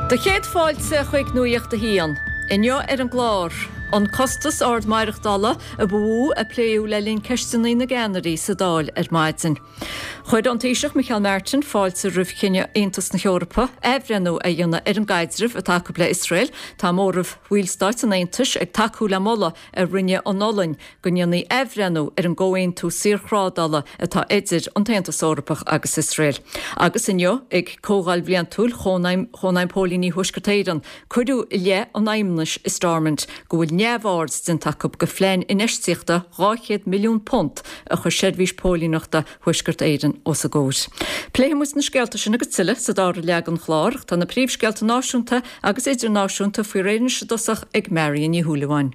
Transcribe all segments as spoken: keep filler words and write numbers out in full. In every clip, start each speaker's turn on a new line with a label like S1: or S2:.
S1: Do chéad fáilte chuig Nuacht a hAon. Inniu ar an gclár, an costas ard maireachtála a ba mhó a pléadh le linn ceisteanna na gceannairí sa Dáil ar maidin. Chuir an Taoiseach Micheál Martin fáilte roimh chinneadh Aontas na hEorpa athbhreithniú a dhéanamh ar an gcaidreamh atá acu le Iosrael. Tá móramh bhallstáit an Aontais ag tacú le moladh a rinne an Ollainn go ndéanfaí athbhreithniú ar an gcomhaontú saorthrádála atá idir an tAontas Eorpach agus Iosrael. Agus inniu ag Comhdháil Bhliantúil Chónaidhm Chónaidhm Póilíní Thuaisceart Éireann, cuireadh i leith an fheidhmeannais i Stormont go bhfuil neamhaird déanta acu de phlean infheistíochta dhá chéad milliún punt a chuir seirbhís póilíneachta Thuaisceart Éireann os a gcomhair. Pléifidh muid na scéalta sin agus tuilleadh sa dara leath den chlár, tá na príomhscéalta náisiúnta agus idirnáisiúnta faoi réir anois i dtosach ag Marion Ní Shúilleabháin.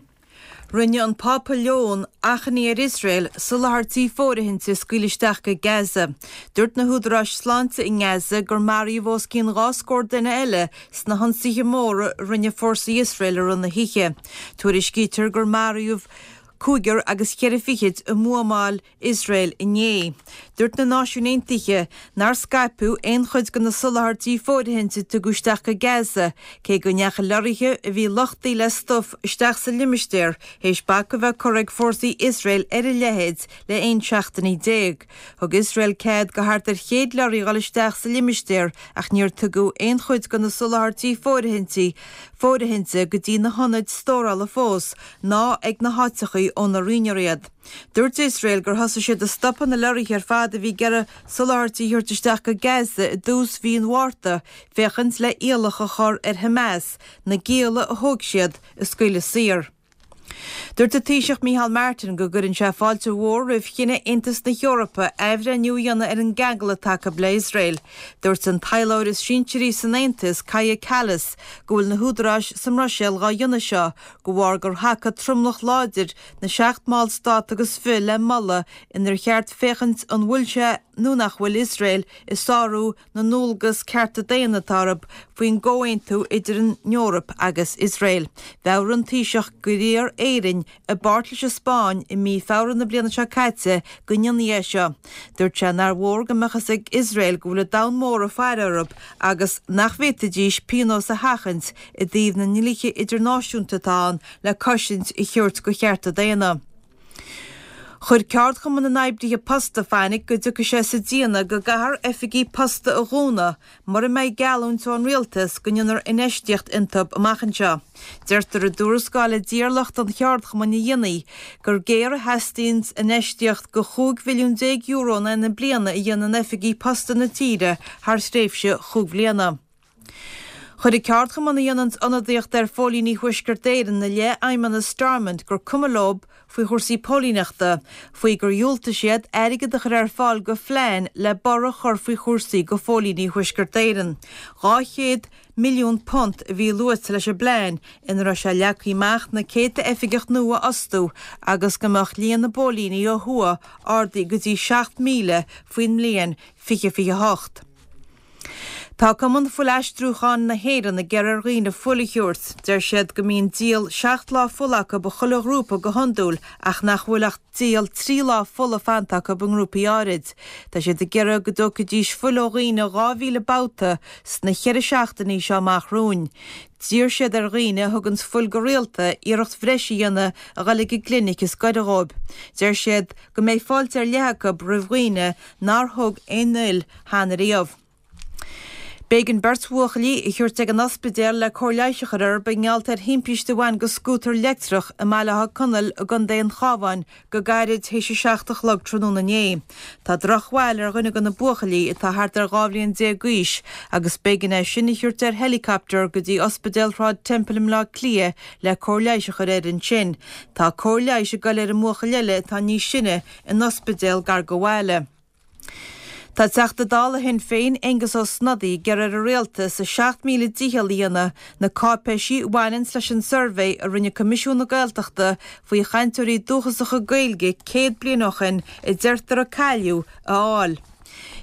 S2: Rinne an Pápa Leon achainí ar Iosrael soláthairtí fóirithinte a scaoileadh isteach go Gaza. Dúirt na húdaráis sláinte i nGaza gur maraíodh os cionn dhá scór duine eile sna hionsaithe móra a rinne fórsaí Iosrael i rith na hoíche. Tuairiscítear gur maraíodh cúigear agus ceithre fichid i mbuamáil Iosrael inné. Dúirt na Náisiúin Aontaithe nár scaipeadh aon chuid de na soláthairtí fóirithinte a tugadh isteach go Gaza, cé go ndeachaigh leoraithe a bhí luchtaithe le stuif isteach sa limistéar théis bac a bheith curtha ag fórsaí Iosrael ar a leithéid le aon seachtainí déag. Thug Iosrael cead do thart ar chéad leoraí dhul isteach sa limistéar ach níor tugadh aon chuid de na soláthairtí fóirithintí fóirithinte go dtí na hionaid stórála fós ná ag na háiteachaí óna rinneadh iad. Dúirt Iosrael gur thosaigh siad ag stopadh na leoraithe ar fad a bhí ag iarraidh soláthairtí a thabhairt isteach go Gaza i dtús mhí an Mhárta féachaint le iallach a chur ar Hamas na gialla a thóg siad a scaoileadh saor. Dúirt an Taoiseach Micheál Martin go gcuireann sé fáilte mhór roimh chinneadh Aontas na hEorpa athbhreithniú a dhéanamh ar an gceangal atá acu le Iosrael. Dúirt an taidhleoir is sinsearaí san Aontas, Kaja Kallas, go bhfuil na húdaráis sa mBruiséil dhá dhéanamh seo de bharr gur thacaigh tromlach láidir na seacht mballstát agus fiche le moladh inar cheart féachaint an bhfuil sé nó nach bhfuil Iosrael ag sárú na ndualgas cearta daonna atá orthu faoin gcomhaontú idir an Eoraip agus Iosrael. Mheabhraigh an Taoiseach gur iarr Éirinn i bpáirt leis an Spáinn i mí Feabhra na bliana seo caite go ndéanfaí é seo. Dúirt sé nár mhór go mbeadh a fhios ag Iosrael go bhfuil an domhan mór ag faire orthu agus nach bhféadfaidís pionós a sheachaint i dtaobh na ndlíthe idirnáisiúnta atá ann le cosaint a thabhairt do chearta daonna. Chuir Ceardchumann na nOibrithe Posta fainic go dtiocfaidh sé sa déanamh go gcaithfear oifigí posta a dhúnadh mura mbeidh geallúint ón rialtas go ndéanfar infheistíocht iontu amach anseo. Deirtear i dtuarascáil a d'iarr lucht an cheardchumainn a dhéanamh gur géar a theastaíonn infheistíocht de chúig mhilliún déag euro in aghaidh na bliana a dhéanamh in oifigí posta na tíre thar thréimhse chúig bhliana. Chuir an ceardchumann a dhéanann ionadaíocht ar phóilíní Thuaisceart Éireann i leith fheidhmeannas Stormont gur cuma leo faoi chúrsaí póilíneachta, faoi gur dhiúltaigh siad airgead a chur ar fáil do phlean le borradh a chur faoi chúrsaí do phóilíní Thuaisceart Éireann. Dhá chéad milliún punt a bhí luaite leis an bplean ina raibh sé leagtha amach na céadta oifigeach nua a fhostú agus go mbeadh líon na bpóilíní ó thuaidh ardaithe go dtí seacht míle faoin mbliain fiche fiche a hocht. Tá Cumann Fuilaistriúcháin na hÉireann ag iarraidh ar dhaoine fuil a thabhairt. Deir siad go mbíonn díol seacht lá fola acu i chuile ghrúpa go hiondúil ach nach bhfuil ach díol trí lá fola fanta acu i ngrúpaí áirid. Tá siad ag iarraidh go dtógfaidís fuil ó dhaoine dhá mhíle babhta sna ceithre seachtainí seo amach romhainn. D'iarr siad ar dhaoine a thuganns fuil go rialta iarracht bhreise a dhéanamh a dhul ag an gclinic is gaire dhóibh. Deir siad go mbeidh fáilte ar leith acu roimh dhaoine nár thug aon fhuil cheana riamh. B'éigean beirt bhuachaillí a thabhairt ag an ospidéal le cóir leighis a chur orthu i ngeall ar thimpiste a bhain go scútar leictreach i mBaile Átha Conaill i gContae an Chabháin go gairid théis a seacht a chlog tráthnóna inné. Tá drochbhail ar dhuine de na buachaillí atá thart ar dhá bhliain déag d'aois agus b'éigean é sin a thabhairt ar helicopter go dtí Ospidéal Shráid Temple i mBleá Cliath le cóir leighis a chur air ansin. Tá cóir leighis ag goil ar an mbuachaill eile atá níos sine in ospidéal gar do bhaile. Tá Teachta Dála Shinn Féin, Aengus Ó Snodaigh, ag iarraidh ar an Rialtas a seacht míle dícheall a dhéanamh na cáipéisí a bhaineanns leis an suirbhé a rinne Coimisiún na Gaeltachta faoi chainteoirí dúchasacha Gaeilge céad bliain ó shin a deirtear a cailleadh, a fháil.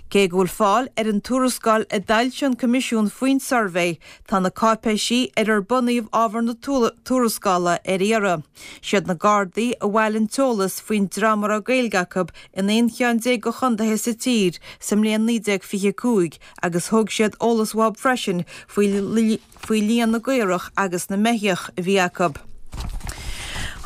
S2: Cé go bhfuil fáil ar an tuarascáil a d'fhoilsigh an Coimisiún faoin suirbhé, tá na cáipéisí ar ar bunaíodh ábhar na tuarascála ar iarraidh. Siad na Gardaí a bhailigh an t-eolas faoin dream a raibh Gaeilge acu in aon cheann déag de chontaetha sa tír sa mbliain naoi déag fiche a cúig agus thóg siad eolas uathu freisin faoi líon na gcaorach agus na mbeithíoch a bhí acu.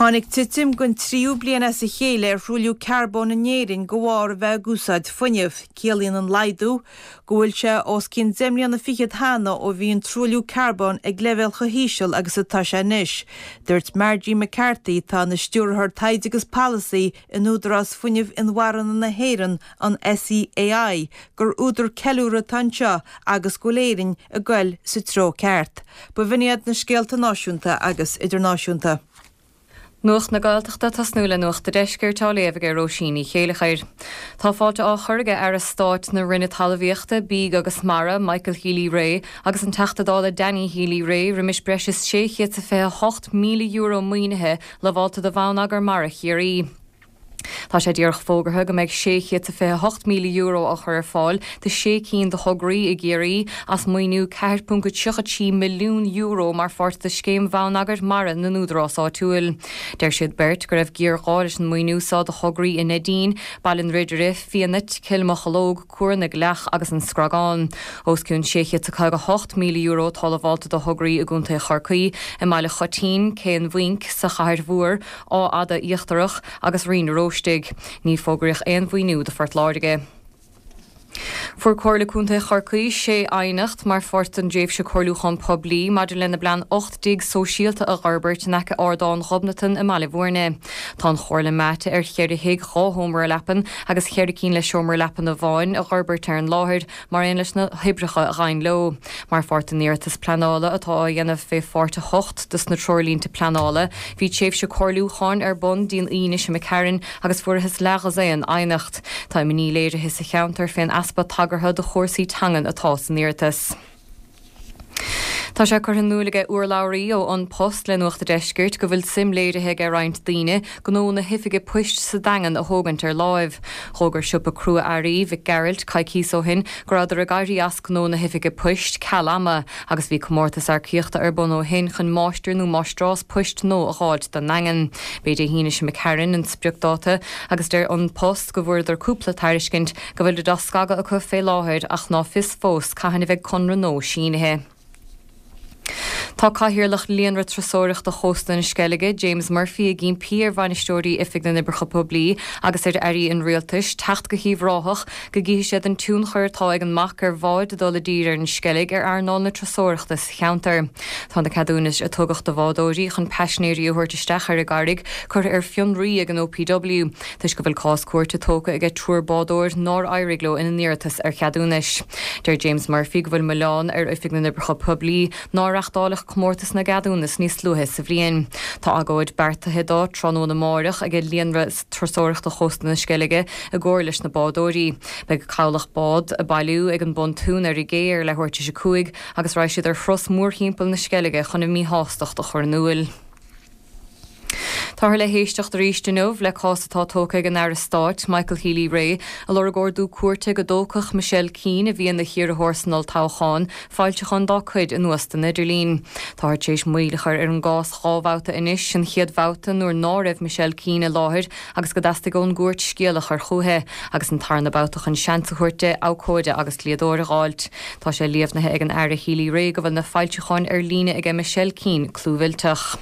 S2: Tháinig titim don tríú bliain as a chéile ar thruailliú carbóin in Éirinn de bharr a bheith ag úsáid fuinnimh. Ciallaíonn an laghdú go bhfuil sé os cionn deich mbliana fichead cheana ó bhí an truailliú carbóin ag leibhéal chomh híseal agus atá sé anois. Dúirt Margie McCarthy, atá ina Stiúrthóir Taighde agus Polasaí in Údarás Fuinnimh Inmharthana na hÉireann, an SEAI, gur údar ceiliúrtha atá anseo agus go bhfuil Éirinn ag goil sa treo ceart. B'in iad na scéalta náisiúnta agus idirnáisiúnta.
S3: Nuacht na Gaeltachta tosnú le Nuacht an Deiscirt á léamh ag Róisín Ní Chéilleachair. Tá fáilte á chur aige Aire Stáit na Roinne Talmhaíochta, Bídh agus Mara, Michael Healy-Rae, agus an Teachta Dála Danny Healy-Rae roimis breis is sé chéad is a fiche hocht míle euro maoinithe lamhálta do Bhonneagar Mara Chiarraí. Tá sé díreach fógartha go mbeidh sé chéad is a fiche hocht míle euro á chur ar fáil do sé cinn de thograí i gCiarraí as maoiniú ceathair ponc tríocha trí milliún euro mar pháirt de Scéim Bhonneagair Mara na nÚdarás Áitiúil. Deir siad beirt go raibh géarghá leis an maoiniú seo do thograí i Neidín, Baile an Ridire, Fianait, Cill Mocheallóg, Cuar na gCleach agus an Scragán. Os cionn sé chéad is a caoga hocht míle euro atá lamhálta do thograí i gContae Chorcaí, i mBaile Choitín, Cé an Bhainc, sa Chathair Mhór, Áth Fhada Íochtarach agus Rinn an Róistigh. Ní fógraíodh aon mhaoiniú do Phort Láirge. Fuair Comhairle Contae Chorcaí sé aighneacht mar pháirt den dtréimhse comhairliúchán poiblí maidir lena bplean ocht dtigh sóisialta a dh'fhorbairt in aice Ardán Ghobnatan i mBaile Bhúirne. Tá an Chomhairle meáite ar cheithre thigh dhá sheomra leapan agus cheithre cinn le seomra leapan amháin a dh'fhorbairt ar an láthair mar aon leis na hoibreacha a ghabhann leo. Mar pháirt den iarratas pleanála atá á dhéanamh fé Pháirt a hocht dos na Treoirlínte Pleanála, bhí tréimhse comhairliúcháin ar bun dtí'n Aoine seo imigh tharainn agus fuarathas leathdhosaen aighneacht. Tá imní léirithe sa cheantar fén easpa tagartha do chúrsaí teangan atá san iarratas. Tá sé curtha in iúl aige urlabhraí ó An Post le Nuacht a' Deiscirt go bhfuil suim léirithe aige roinnt daoine gnó na hoifige poist sa Daingean a thógaint ar láimh. Dh'fhógair siopa crua-earraí Mhic Gearailt coicíos ó shin go rabhadar ag éirí as gnó na hoifige poist ceal ama agus bhí comórtas earcaíochta ar bun ó shin chun máistir nó máistreás poist nua a dh'fháilt don nDaingean. B'é Dé hAoine seo imigh tharainn an spriocdháta agus deir An Post go bhfuaireadar cúpla tairiscint go bhfuilid á scagadh acu fé láthair ach ná fios fós cathain a bheidh conradh nua sínithe. Tá Cathaoirleach Líonra Turasóireachta Chósta na Sceilge, James Murphy, ag impí ar bhainisteoirí Oifig na nOibreacha Poiblí agus ar airí an rialtais teacht go hUíbh Ráthach go gcífidh siad an tionchar atá ag an mbac ar bháid dul i dtír ar an Sceilg ar earnáil na turasóireachta sa cheantar. Tá na ceadúnais a tugadh do bhádóirí chun paisinéirí a thabhairt isteach ar an gcarraig curtha ar fionraí ag an OPW toisc go bhfuil cás cúirte tógtha aige triúr bádóir nár éirigh leo ina n-iarratas ar cheadúnais. Deir James Murphy go bhfuil milleán ar Oifig na nOibreacha Poiblí nár reáchtáladh comórtas na gceadúnas níos luaithe sa bhliain. Tá agóid beartaithe do tráthnóna amáireach ag Líonra Turasóireachta Chósta na Sceilge i gcomhar leis na bádóirí. Beidh cabhlach bád ag bailiú ag an bpontún ar an gcé ar leathuair tar éis a cúig agus raghaidh siad ar thuras mórthimpeall na Sceilge chun a míshástacht a chur in iúl. Táthar le héisteacht arís inniu le cás atá tógtha ag an Aire Stáit, Michael Healy-Rae, a lorg ordú cúirte go dtógfadh Michelle Keane, a bhí ina hiarrthóir san olltoghchán, foilseacháin dá cuid anuas den idirlíon. Táthar tar éis moill a chur ar an gcás dhá bhabhta anois, an chéad bhabhta nuair ná raibh Michelle Keane i láthair agus go dteastaigh ón gcúirt scéala a chur chúithi, agus an tarna babhta chun seans a thabhairt di abhcóide agus dlíodóir a dh'fháilt. Tá sé líomhnaithe ag an Aire Healy-Rae go bhfuil na foilseacháin ar líne aige Michelle Keane clúmhillteach.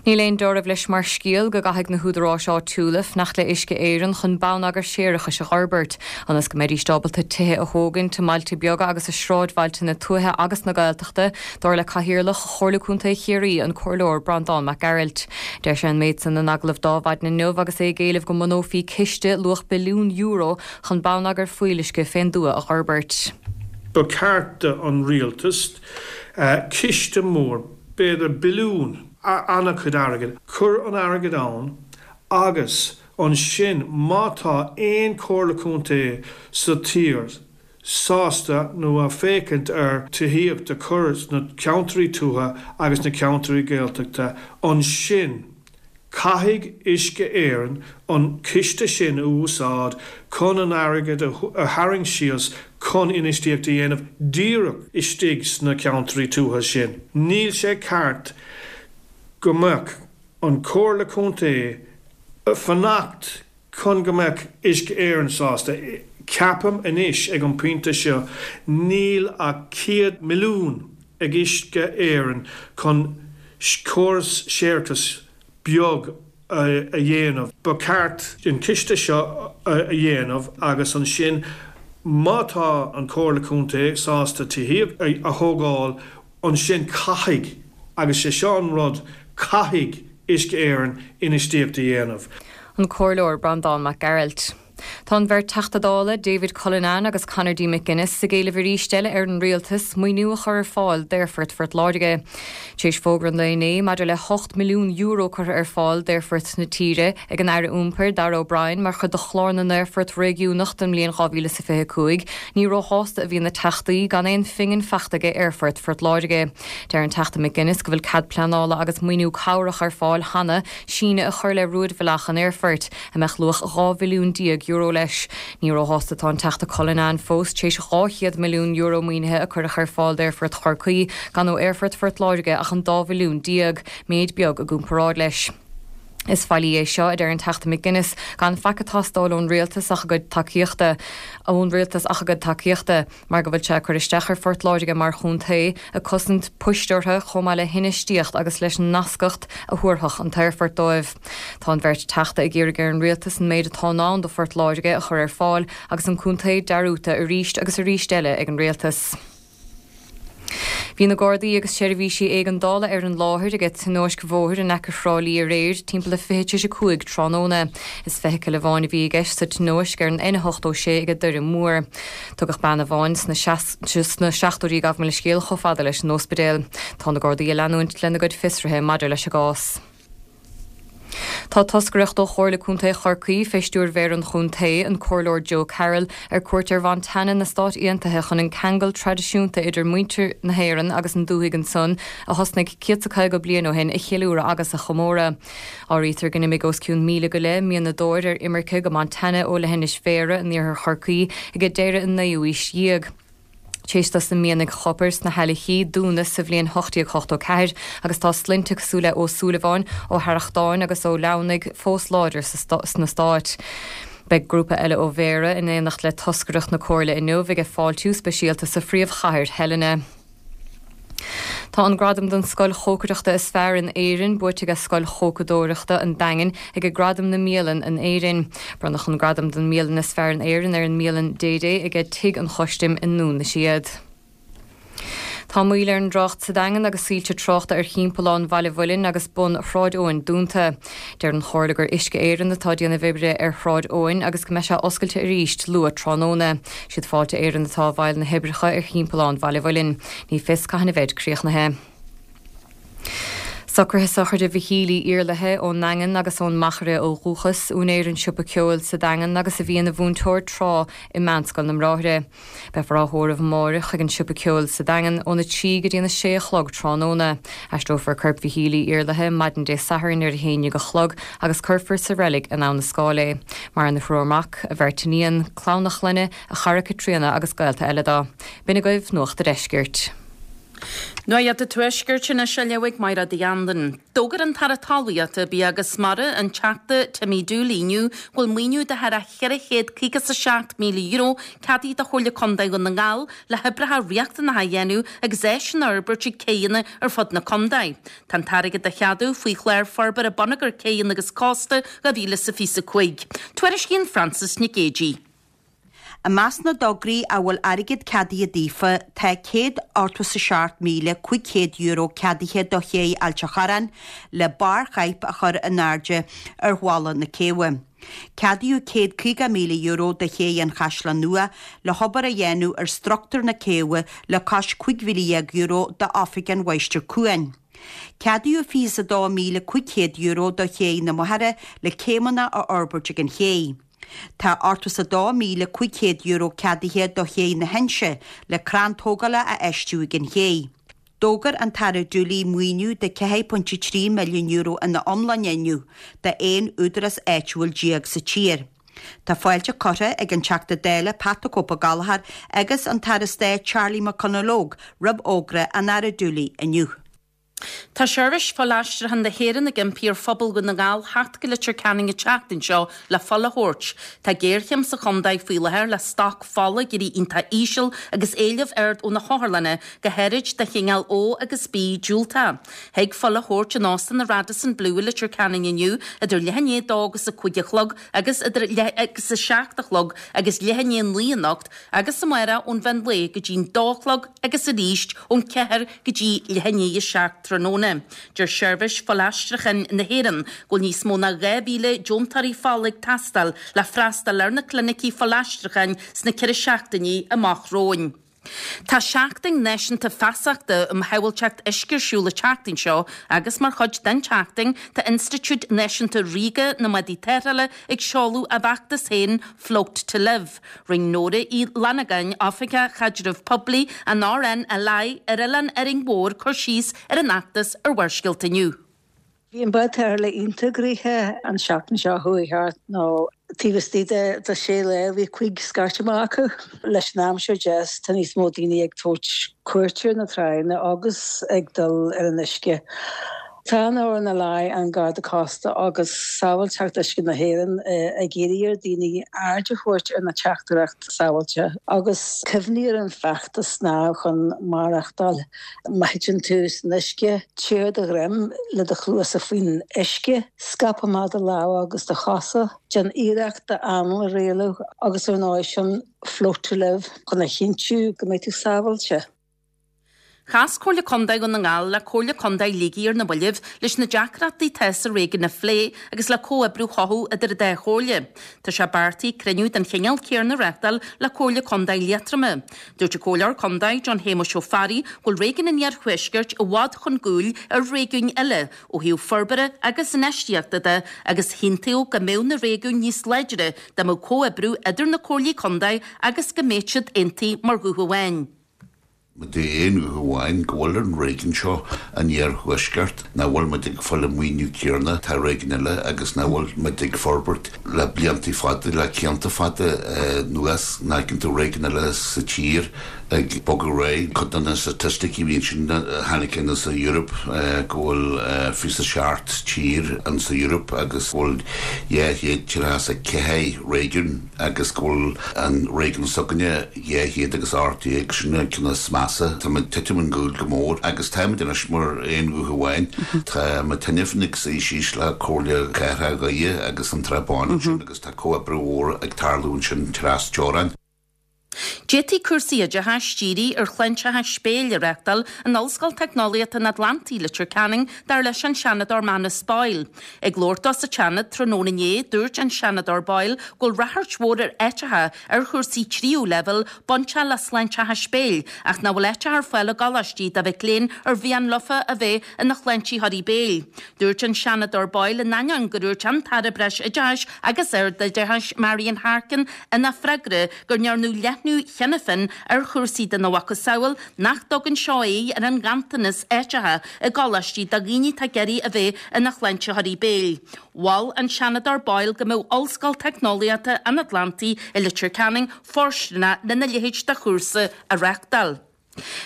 S3: Níl aon dealramh leis mar scéal go gcaithfidh na húdaráis áitiúla fanacht le Uisce Éireann chun bonneagar séarachais a dh'fhorbairt, ionas go mbeidís ábalta tithe a thógaint i mbailte beaga agus i sráidbhailte na tuaithe agus na Gaeltachta, dar le Cathaoirleach Chomhairle Contae Chiarraí, an Comhairleoir Breandán Mac Gearailt. Deir sé an méid san in agallamh d'Adhmhaidin inniu agus é ag éileamh go mbunófaí ciste luach billiún euro chun bonneagar fuíolluisce fén dtuath a dh'fhorbairt.
S4: Ba cheart don rialtas ciste mór, b'fhéidir billiún, an-chuid airgid, cur an airgead ann agus ansin má tá aon chomhairle contae sa tír sásta nó ag féachaint ar tithíocht a chur sna ceantraí tuaithe agus na ceantraí Gaeltachta, ansin Caithfidh Uisce Éireann an ciste sin a úsáid chun an airgead a tharraingt síos chun infheistíocht a dhéanamh díreach istigh sna ceantraí tuaithe sin. Níl sé ceart go mbeadh an Comhairle Contae fanacht chun go mbeadh Uisce Éireann sásta. Ceapaim anois ag an pointe seo níl ach céad milliún ag Uisce Éireann chun córas séarachais beag a dhéanamh. Ba cheart an ciste seo a dhéanamh agus ansin má tá an Comhairle Contae sásta tithíocht a thógáil ansin caithfidh agus sé seo an rud caithfidh Uisce Éireann infheistíocht a dhéanamh.
S3: An Comhairleoir Breandán Mac Gearailt. Tá an bheirt Teachta Dála, David Cullinane agus Conor D. McGuinness ag éileamh arís eile ar an rialtas maoiniú a chur ar fáil d'Aerfort Phort Láirge. Tar éis fógra an lae inné maidir le hocht milliún euro curtha ar fáil d'aerfoirt na tíre ag an Aire Iompair Darragh O'Brien mar chuid de chlár na n-aerfort réigiúnach don mbliain dhá mhíle is a fiche a cúig, ní róshásta a bhí na Teachtaí gan aon phingin fachta ag Aerfort Phort Láirge. Deir an Teachta McGuinness go bhfuil cead pleanála agus maoiniú cabhrach ar fáil cheana síneadh a chur le rúidbhealach an aerfoirt, a mbeadh luach dhá bhilliún déag euro leis. Ní róshásta atá an Teachta Cullinane fós tar éis dhá chéad milliún euro maoinithe a cuireadh ar fáil d'Aerfort Chorcaí gan ó Aerfort Phort Láirge ach an dá mhilliún déag, méid beag i gcomparáid leis. Is faillí é seo, a deir an Teachta McGuinness, gan faic ag teastáil ón rialtas ach a gcuid tacaíochta ón rialtas ach a gcuid tacaíochta, mar go bhfuil sé ag cur isteach ar Phort Láirge mar chontae, ag cosaint poist orthu chomh maith le hinfheistíocht agus leis an nascacht a thabharfadh an t-aerfort dóibh. Tá an bheirt Teachta ag iarraidh ar an rialtas an méid atá i ndán do Phort Láirge a chur ar fáil agus an contae dearúdta arís agus arís eile ag an rialtas. Bhí na Gardaí agus seirbhísí éigeandála ar an láthair ag tionóisc bhóthair in aice Thrá Lí aréir timpeall a fiche tar éis a cúig tráthnóna. Is feithicil amháin a bhí i gceist sa tionóisc ar an N a hochtó sé ag Doire Mór. Tugadh bean amháin sna sna seachtóidí gabh mo leithscéal chomh fada leis an ospidéal. Tá na Gardaí ag leanúint lena gcuid fiosruithe maidir leis an gcás. Tá toscaireacht ó Chomhairle Contae Chorcaí fé stiúir Mhéara an Chontae, an Comhairleoir Joe Carroll, ar cuairt ar Mhontana na Stát Aontaithe chun an ceangal traidisiúnta idir muintir na hÉireann agus an dúthaigh ansan a thosnaigh céad 's a caoga bliain ó shin a cheiliúradh agus a chomóradh. Áirítear go n-imigh os cionn míle go leith mianadóir ar imirce go Montana ó leithinis Bhéarra in iarthar Chorcaí ag deireadh an naoú haois dhéag. Tar éis dos na mianaigh chopair sna hAilleachaí dúnadh sa bhliain ocht déag ochtó ceathair agus tá sloinnte cosúil le Ó Súilleabháin, Ó hArrachtáin agus Ó Leamhnaigh fós láidir sna Stáit. Beidh grúpa eile ó Bhéarra in éineacht le toscaireacht na Comhairle inniu ag fáiltiú speisialta sa phríomhchathair Helena. Tá an gradam don scoil chócaireachta is fearr in Éirinn buaite ag Scoil Chócaireachta an Daingin ag Gradaim na mBialann in Éirinn. Bronnadh an gradam don mbialann is fearr in Éirinn ar an mbialann Dédé ag Tigh an Chustaim i nDún na Séad. Tá moill ar an dtrácht sa Daingean agus soilse tráchta ar thimpeallán Bhaile Mhuilinn agus bun Shráid Eoin dúnta. Deir an Chomhairle gur Uisce Éireann atá ag déanamh oibre ar Shráid Eoin agus go mbeidh sé oscailte arís luath tráthnóna. Siad Fáilte Éireann atá i bhfeighil na hoibreacha ar thimpeallán Bhaile Mhuilinn. Ní fios cathain a bheidh críochnaithe. Socruithe sochraide Mhichíl Uí Iarlaithe ón nDaingean agus ón Machaire ó dhúchas, úinéir an siopa ceoil sa Daingean agus a bhí ina mhúinteoir tráth i Meánscoil na mBráithre. Beifear á thórramh amárach ag an siopa ceoil sa Daingean óna trí go dtí a sé a chlog tráthnóna. Aistreofar corp Mhichíl Uí Iarlaithe maidin Dé Sathairn ar a haon déag a chlog agus cuirfear sa reilig in Abha na Scáil é. Maireann a thriúr mac, a bheirt iníon, clann a chlainne, a chara Caitríona agus gaolta eile dó. B'in agaibh Nuacht a' Deiscirt.
S5: Nuacht an Tuaiscirt anois á léamh ag Máire Uí Anluain. D'fhógair an tAire Talmhaíochta, Bia agus Mara, an Teachta Timmy Dooley inniu go bhfuil maoiniú de thar a cheithre chéad caoga is a seacht míle euro ceadaithe do Chomhairle Contae Dhún na nGall le hoibreacha riachtanacha a dhéanamh agus áiseanna a fhorbairt ag céanna ar fud na contae. Tá an t-airgead á cheadú faoi chlár forbartha bonneagair céanna agus cósta dhá mhíle is a fiche a cúig. Tuairiscíonn Frances Nic Géadaigh.
S6: I measc na dtograí a bhfuil airgead ceadaithe daofa tá céad ochtó is a seacht míle cúig chéad euro ceadaithe do ché Ailt a' Chorráin le barr chaidhp a chur in airde ar bhalla na céibhe. Ceadaíodh céad caoga míle euro do ché an Chaisleáin Nua le hobair a dhéanamh ar struchtúr na céibhe le cois cúig mhíle dhéag euro d'Oifig an Mháistir Cuain. Ceadaíodh fiche is a dó míle cúig chéad euro do ché na Machaire le céimeanna a fhorbairt ag an ché. Tá ochtó is a dó míle cúig chéad euro ceadaithe do ché na hInse le crann tógála a fheistiú ag an ché. D'fhógair an tAire Dooley maoiniú de ceathair pointe trí milliún euro ina iomláine inniu do aon údarás áitiúil déag sa tír. Tá fáilte curtha ag an Teachta Dála Pat the Cope Gallagher agus an tAire Stáit Charlie McConalogue roimh fhógra an Aire Dooley inniu.
S5: Tá Seirbhís Fuilaistriúcháin na hÉireann ag impí ar phobal Dhún na nGall theacht go Leitir Ceanainn an tseachtain seo le fuil a thabhairt. Tá géarchéim sa chontae faoi láthair le stoc fola ag éirí iontach íseal agus éileamh ard ó na hotharlanna, go háirid de chineál O agus B diúltach. Thig fuil a thabhairt in Óstán na Radisson Blu i Leitir Ceanainn inniu idir leath i ndiaidh a dó agus a cúig a chlog agus idir leath agus a seacht a chlog agus leath i ndiaidh a naoi anocht agus amárach ón mheán lae go dtí'n dó a chlog agus arís ón ceathair go dtí leath i ndiaidh a seacht tráthnóna. Deir Seirbhís Fuilaistriúcháin na hÉireann go bhfuil níos mó ná dhá mhíle deontóirí fola ag teastáil le freastal ar na clinicí fuilaistriúcháin sna ceithre seachtainí amach romhainn. Tá Seachtain Náisiúnta Feasachta um Shábháilteacht Uisce ar siúl an tseachtain seo agus mar chuid den tseachtain tá Institiúid Náisiúnta Ríoga na mBádaí Tarrthála ag seoladh a bhfeachtas féin Float to Live. Rinne Nóra Uí Fhlannagáin, Oifigeach Chaidreamh Poiblí an RNLI ar Oileán Árainn Mhór cur síos ar an fheachtas ar Bharrscéalta inniu.
S7: Bhí an bád tarrthála iontach gnoitheach an seachtain seo chuaigh thart nó taobh istigh de de sé lá bhí cúig scairt amach acu. Leis an aimsir deas tá níos mó daoine ag tabhairt cuairt ar na tránna agus ag dul ar an uisce. Tá an RNLI, an Garda Cósta agus Sábháilteacht Uisce na hÉireann ag iarraidh ar daoine aird a thabhairt ar na teachtaireacht sábháilte agus cuimhnigh ar an feachtas snámh chun maireachtáil. Má thiteann tú san uisce, téir ar do dhroim le do chluasa faoin uisce, scaip amach do lámha agus do chosa, déan iarracht d'anáil a rialú agus ar ndóigh sin float to live chun a chinntiú go mbeidh tú sábháilte.
S5: Chas Comhairle Contae Dhún na nGall le Comhairle Contae Shligigh ar na mallaibh leis na deacrachtaí atá sa réigiún a phlé agus le comhoibriú a chothú idir an dá chomhairle. Tá sé beartaithe cruinniú den chineál céanna a reáchtáil le Comhairle Contae Liatroma. Dúirt an Comhairleoir Contae John Shéamuis Ó Fearraigh go bhfuil réigiún an Iarthuaiscirt i bhfad chun cúil ar réigiúin eile ó thaobh forbartha agus infheistíochta de agus shílfeá go mbeadh na réigiúin níos láidre dá mbeadh comhoibriú idir na comhairlí contae agus go mbeadh siad aontaithe mar ghuth amháin.
S8: Muid aon ghuth amháin go bhfuil an réigiún seo an iarthuaisceart nach bhfuil muid ag fáil an maoiniú céanna atá réigiúin eile agus nach bhfuil muid ag forbairt le blianta fada le cianta fada anuas nach tú réigiúin eile sa tír ag bogadh réidh. Cuid de na staitisticí bhíonn sin tháinig in sa Europe go bhfuil fiche a seacht tír an sa Europe agus bhfuil dhá chéad tríocha a ceathair réigiún agus go bhfuil an réigiún s'againne dhá chéad agus ocht déag sin ceann is measa Tá titim chun cúil go mór agus táimid anois mar aon ghuth amháin Tá tinneamh ag síos le Comhairle Cathrach Dhoire agus an Trá Bháin sin agus tá comhoibriú mór ag tarlú sin trasteorann.
S5: D'fhéadfaí cúrsaí oideachais dírithe ar shláinteachas béil a reáchtáil in Ollscoil Teicneolaíochta an Atlantaigh Leitir Ceanainn dar leis an Seanadóir Manus Boyle. Ag labhairt dó sa Seanad tráthnóna inné dúirt an Seanadóir Boyle go bhfuil ráchairt mhór ar áiteacha ar chúrsaí tríú leibhéal bainteach le sláinteachas béil ach nach bhfuil áiteacha ar fáil i gcoláistí do mhic léinn ar mhian leofa a bheith ina shláintitheoirí béil. Dúirt an Seanadóir Boyle in ainneoin gur dhúirt an tAire Breisoideachais agus Ardoideachais Marian Harkin ina freagra go ndearnadh leathnú cheana féin ar chúrsaí den mhacasamhail nach dtugann seo aghaidh ar an nganntanas áiteacha i gcoláistí do dhaoine atá ag iarraidh a bheith ina shláintitheoirí béil. Mhol an Seanadóir Boyle go mbeadh Ollscoil Teicneolaíochta an Atlantaigh i Leitir Ceanainn fóirsteanach lena leithéid de chúrsa a reáchtáil.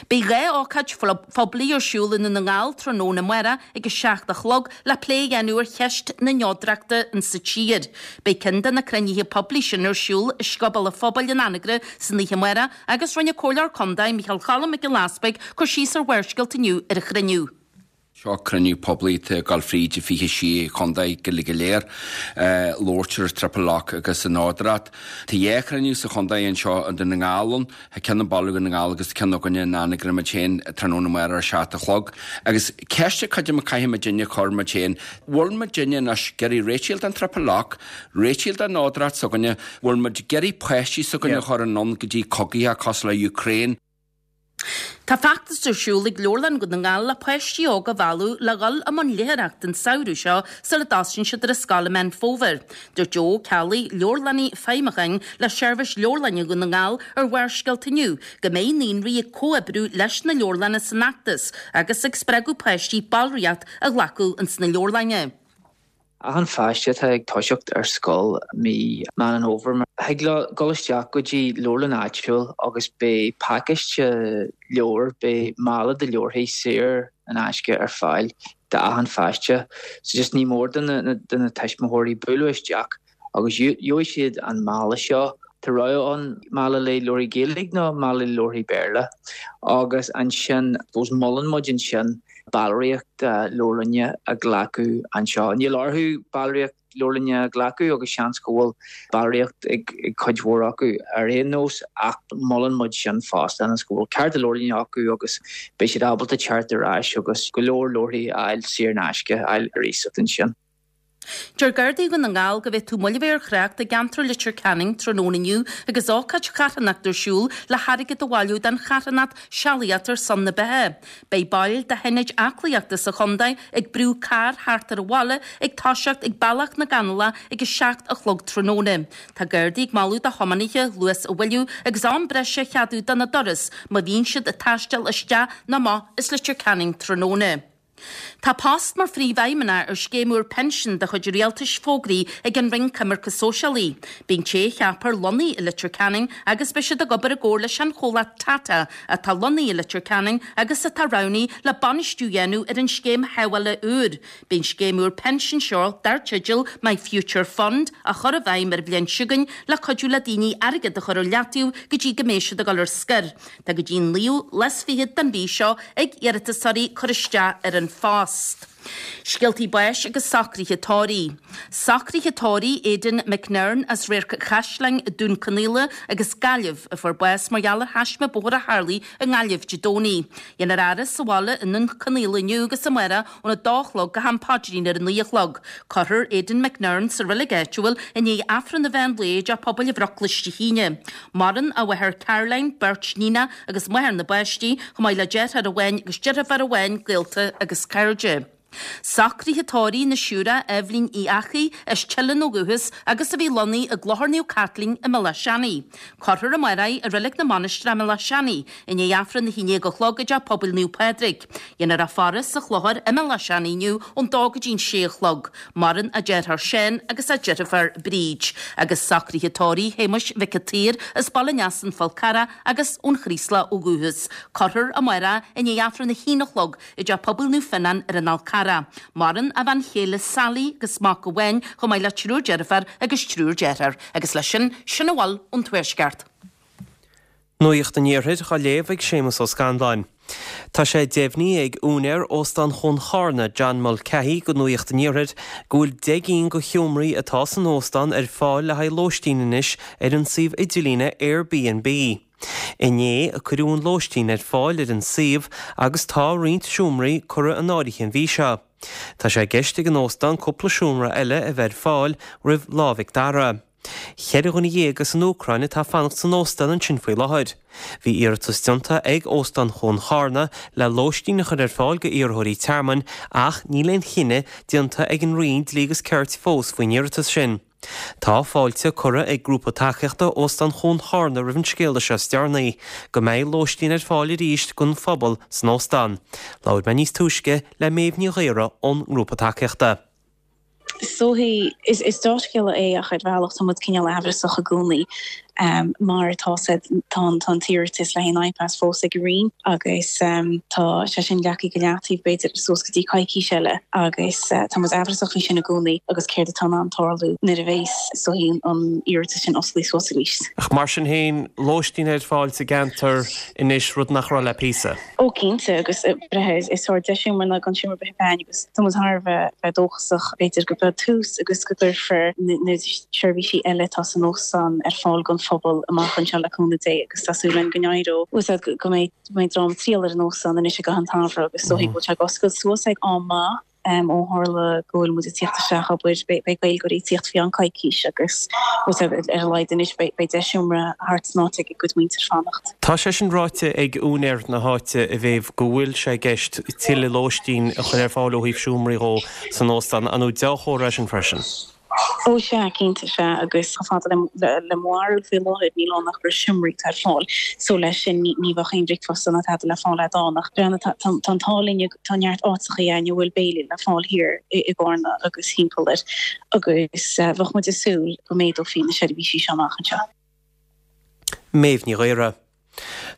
S5: Beidh dhá ócáid phoiblí ar siúl i nDún na nGall tráthnóna amárach ag a seacht a chlog le plé a dhéanamh ar cheist na neodrachta in sa tír. Beidh ceann de na cruinnithe poiblí sin ar siúl i Scioból an Phobail in Anagaire san oíche amárach agus rinne Comhairleoir Contae Micheál Cholm Mac Giolla Easpaig cur síos ar Bharrscéalta inniu ar an chruinniú.
S9: Seo cruinniú poiblí ag gabháil fríd fiche sé chontae go go léir labhairt ar Triple Lock agus an neodracht. Tá dhá chruinniú sa chontae anseo i nDún na nGall ann, ceann i mbaile Dhún na nGall agus ceann againne in Anagaire muid féin tráthnóna amárach ar seacht a chlog. Agus ceist cuid a caithfidh muidinne a chur muid féin, bhfuil muidinne anois ag iarraidh réiteach den Triple Lock, réiteach den neodracht s'againne, bhfuil muid ag iarraidh páistí s'againne a chur anonn go dtí cogaithe cosúil le Ukraine.
S5: Tá feachtas ar siúl ag Leabharlann Dhún na nGall le páistí óga a mhealladh le dhul i mbun léitheoireachta an samhradh seo sula dtosaíonn siad ar an scoil i Meán Fómhair. Dúirt Joe Ó Ceallaigh, leabharlannaí feidhmiúcháin le Seirbhís Leabharlainne Dhún na nGall ar Bharrscéalta inniu go mbeidh naíonraí ag comhoibriú leis na leabharlanna san fheachtas agus ag spreagadh páistí ballraíocht a ghlacadh ins na leabharlainne.
S10: Achan pháiste atá ag toiseacht ar scoil mí Meán an Fhómhair, thig leo dul isteach go dtí leabharlann áitiúil agus beidh pacáiste leabhar, beidh mála de leabharthaí saor in aisce ar fáil d'achan pháiste. So just ní mór do na do na tuismitheoirí bualadh isteach agus gheobhaidh siad an mála seo. Tá rogha ann mála le leabharthaí Gaeilge nó mála le leabharthaí Béarla agus ansin suppose molann muid ansin ballraíocht leabharlainne a ghlacadh anseo. Níl orthu ballraíocht leabharlainne a ghlacadh agus seans go bhfuil ballraíocht ag cuid mhór acu ar aon nós ach molann muid sin fosta ionas go bhfuil cárta leabharlainne acu agus beidh siad ábalta teacht ar ais agus go leor leabharthaí a fháil saor in aisce, a fháil ar iasacht ansin.
S5: Deir Gardaí Dhún na nGall go bhféadfadh moill a bheith ar thrácht i gceantar Leitir Ceanainn tráthnóna inniu agus ócáid charthanachta ar siúl le hairgead a bhailiú don charthanacht Sealaíocht ar son na Beatha. Beidh baill de thionad aclaíochta sa chontae ag brú carr thart ar an bhaile ag toiseacht ag Bealach na gCanálach ag a seacht a chlog tráthnóna. Tá Gardaí ag moladh do thiománaithe luas a mhoilliú agus am breise a cheadú do na dturas má bhíonn siad ag taisteal isteach nó amach as Leitir Ceanainn tráthnóna. Tá post mar phríomhfheidhmeannach ar scéim úr pinsin de chuid an Rialtais fógraithe ag an Roinn Coimirce Sóisialaí. Beidh an té a cheapfar lonnaithe i Leitir Ceanainn agus beidh siad ag obair i gcomhar leis an chomhlacht Tata atá lonnaithe i Leitir Ceanainn agus atá roghnaithe le bainistiú a dhéanamh ar an scéim shábhála úr. Beidh an scéim úr pinsin seo, dar teideal My Future Fund, á chur i bhfeidhm ar an bhliain seo chugainn le cuidiú le daoine airgead a chur ar leataobh go dtí go mbeidh siad ag dul ar scor. Tá go dtí an naoú lá is fichead den mhí seo ag iarratasóirí cur isteach ar an phost. Scéaltaí báis agus socruithe tórraimh. Socruithe tórraimh Aidan McNern as Radharc Chaisleáin, Dún Conaola agus Gaillimh, a fuair bás mar gheall ar thaisme bóthair a tharlaigh i nGaillimh Dé Domhnaigh. Déanfar a fhaire sa bhaile i nDún Conaola inniu agus amárach óna dó a chlog go ham paidrín ar a naoi a chlog. Cuirfear Aidan McNern sa reilig áitiúil i ndiaidh Aifreann an mheán lae i dTeach Pobail an Bhruclais Dé hAoine. Maireann a mháthair Caroline, beirt níonacha agus máthair na bpáistí, chomh maith le deartháir amháin agus deirfiúr amháin, gaolta agus cairde. Socruithe tórraimh na Siúire Eibhlín Uí Eachaidh as Teileann ó dhúchas agus a bhí lonnaithe i gClochar Naomh Caitlín i mBealach Seanaidh. Cuirfear amárach í i Reilig na Mainistreach i mBealach Seanaidh i ndiaidh Aifreann a haon déag a chlog i dTeach Pobail Naomh Pádraig. Déanfar a faire sa chlochar i mBealach Seanaidh inniu ón dó go dtí an sé a chlog. Maireann a deartháir Seán agus a deirfiúr Bríd. Agus socruithe tórraimh Shéamuis Mhic an tSaoir as Baile an Easa-An Fál Carrach agus ón Chraoslach ó dhúchas. Cuirfear amárach i ndiaidh Aifreann a haon a chlog i dTeach Pobail Naomh Fionnán ar an Fhál Carrach. Maireann a bhean chéile Sally agus mac amháin chomh maith le triúr deirfiúr agus triúr dearthár. Agus leis sin, sin a bhfuil ón Tuaisceart.
S11: Nuacht an Iarthair á léamh ag Séamus Ó Scanláin. Tá sé deimhnithe ag úinéir Óstán Chuan Charna, John Mulcahy, go Nuacht an Iarthair go bhfuil deich gcinn de sheomraí atá san óstán ar fáil le haghaidh lóistín anois ar an suíomh idirlíne Airbnb. Inné a cuireadh an lóistín ar fáil ar an suíomh agus tá roinnt seomraí curtha in áirithe an mhí seo. Tá sé i gceist ag an óstán cúpla seomra eile a bheith ar fáil roimh Lá Mhic Dara. Ceithre dhuine dhéag as an Úcráin atá ag fanacht san óstán ansin faoi láthair. Bhí iarratas déanta ag Óstán Chuan Charna le lóistín a chur ar fáil go iarrthóirí tearmainn ach níl aon chinneadh déanta ag an Roinn Dlí agus Cirt fós faoin iarratas sin. Tá fáilte curtha ag grúpa tacaíochta Óstán Chuan Charna roimh an scéala seo is deireanaí, go mbeidh lóistín ar fáil arís don phobal san óstán. Labhair mé níos túisce le Méabh Ní Ghaora ón ngrúpa tacaíochta.
S12: Is dóichí, is dea-scéala é ach ar bhealach tá muid cineál aimhreasach i gcónaí mar tá said, tá an tá an t-iarratas le haghaidh an IPAS fós ag an Roinn agus tá sé sin leagtha go leataobh b'fhéidir suas go dtí coicís eile agus tá muid aimhreasach faoi sin i gcónaí agus céard atá in ann tarlú nuair a bheas is dóichí an iarratas sin osclaithe suas arís.
S11: Ach mar sin féin, lóistín ar fáil sa gceantar anois, rud nach raibh le píosa.
S12: Ó cinnte, agus breithe is sórt deis é mar ná gan seomra ar bith againn agus tá muid thar a bheith dóchasach b'fhéidir go beidh tús agus go gcuirfear na seirbhísí eile atá san óstán ar fáil don phobal amach anseo le cúnamh Dé agus tá súil againn go n-éireoidh, go mbeidh dream ag triall ar an óstán anois i gcaitheamh an tsamhraidh agus is dóichí go bhfuil sé ag oscailt suas ag am maith. Ó tharla go bhfuil muid ag tíocht isteach, abair, beidh Gaeilgeoirí ag tíocht faoi cheann coicís agus ar a laghad anois beidh deich seomra thart san áit ag a gcuid muintir fanacht.
S11: Tá sé sin ráite ag úinéir na háite, a Mhéabh, go bhfuil sé i gceist tuilleadh lóistín a chur ar fáil ó thaobh seomraí dhó san óstán. An dea-chomhartha é sin freisin?
S12: Ó sea, cinnte, sea, agus chomh fada le mo bharúil faoi láthair níl ann ach roinnt seomraí atá ar fáil so leis sin ní bheadh aon bhricfeasta ná tada le fáil a'd ann ach breathnaigh tá an t-ádh linn tá neart áiteachaí a'inn a bhfuil béilí le fáil thiar i gCarna agus thimpeall air agus bheadh muid ag súil go méadófaí na seirbhísí seo amach anseo.
S11: Méabh Ní Ghaora.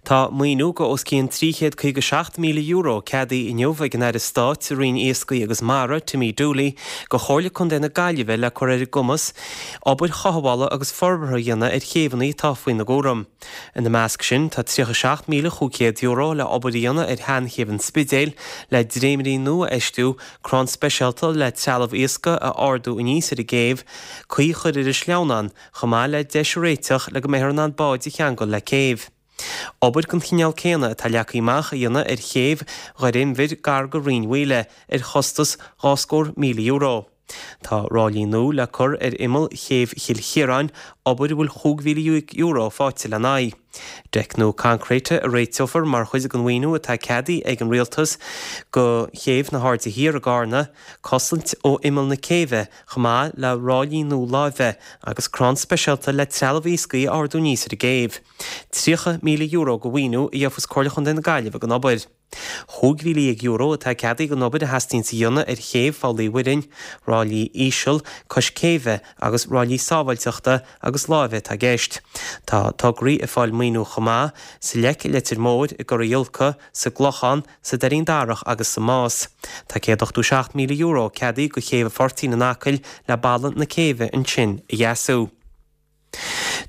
S11: Tá maoiniú go os cionn trí chéad caoga seacht míle euro ceadaithe inniu ag an Aire Stáit sa Roinn Iascaigh agus Mara, Timmy Dooley, go Chomhairle Contae na Gaillimhe le cur ar a gcumas obair chothabhála agus forbartha a dhéanamh ar chéibheanna atá faoina gcúram. Ina measc sin tá tríocha seacht míle chúig chéad euro le obair a dhéanamh ar sheanchéibh an Spidéil, le dréimirí nua a fheistiú, crann speisialta le trealamh iascaigh a ardú aníos ar an gcéibh, caoi a chur ar an sleamhnán, chomh maith le deis a réiteach le go mbeifear in ann báid a cheangal le céibh. Obair den chineál céanna atá leagtha amach a dhéanamh ar chéibh Dhoire Inbhir gar go Rinn Mhaoile ar chostas dhá scór míle euro. Tá ráillí nua le cur ar imeall chéibh Chill Chiaráin, obair a bhfuil chúig mhíle dhéag euro faighte lena aghaidh. Deic nua coincréite a réiteofar mar chuid den mhaoiniú atá ceadaithe ag an Rialtas go chéibh na hAirde Thiar i gCarna, cosaint ó imeall na céibhe chomh maith le ráillí nua láimhe agus crann speisialta le trealamh iascaigh a ardú aníos ar an gcéibh. tríocha míle euro de mhaoiniú a gheofas Comhairle Chontae na Gaillimhe don obair. Chúig mhíle dhéag euro atá ceadaithe don obair a theastaíonns a dhéanamh ar chéibh Pholl Uí Mhuirinn, ráillí íseal cois céibhe agus ráillí sábháilteachta agus láimhe atá i gceist. Tá tograí ag fáil maoiniú chomh maith sa Leic i Leitir Móir, i gCora Giolca, sa gClochán, sa Doirín Darach agus sa Más. Tá céad ochtó seacht míle euro ceadaithe do chéibh an Phortaigh in Acaill le balla na céibhe ansin a dheasú.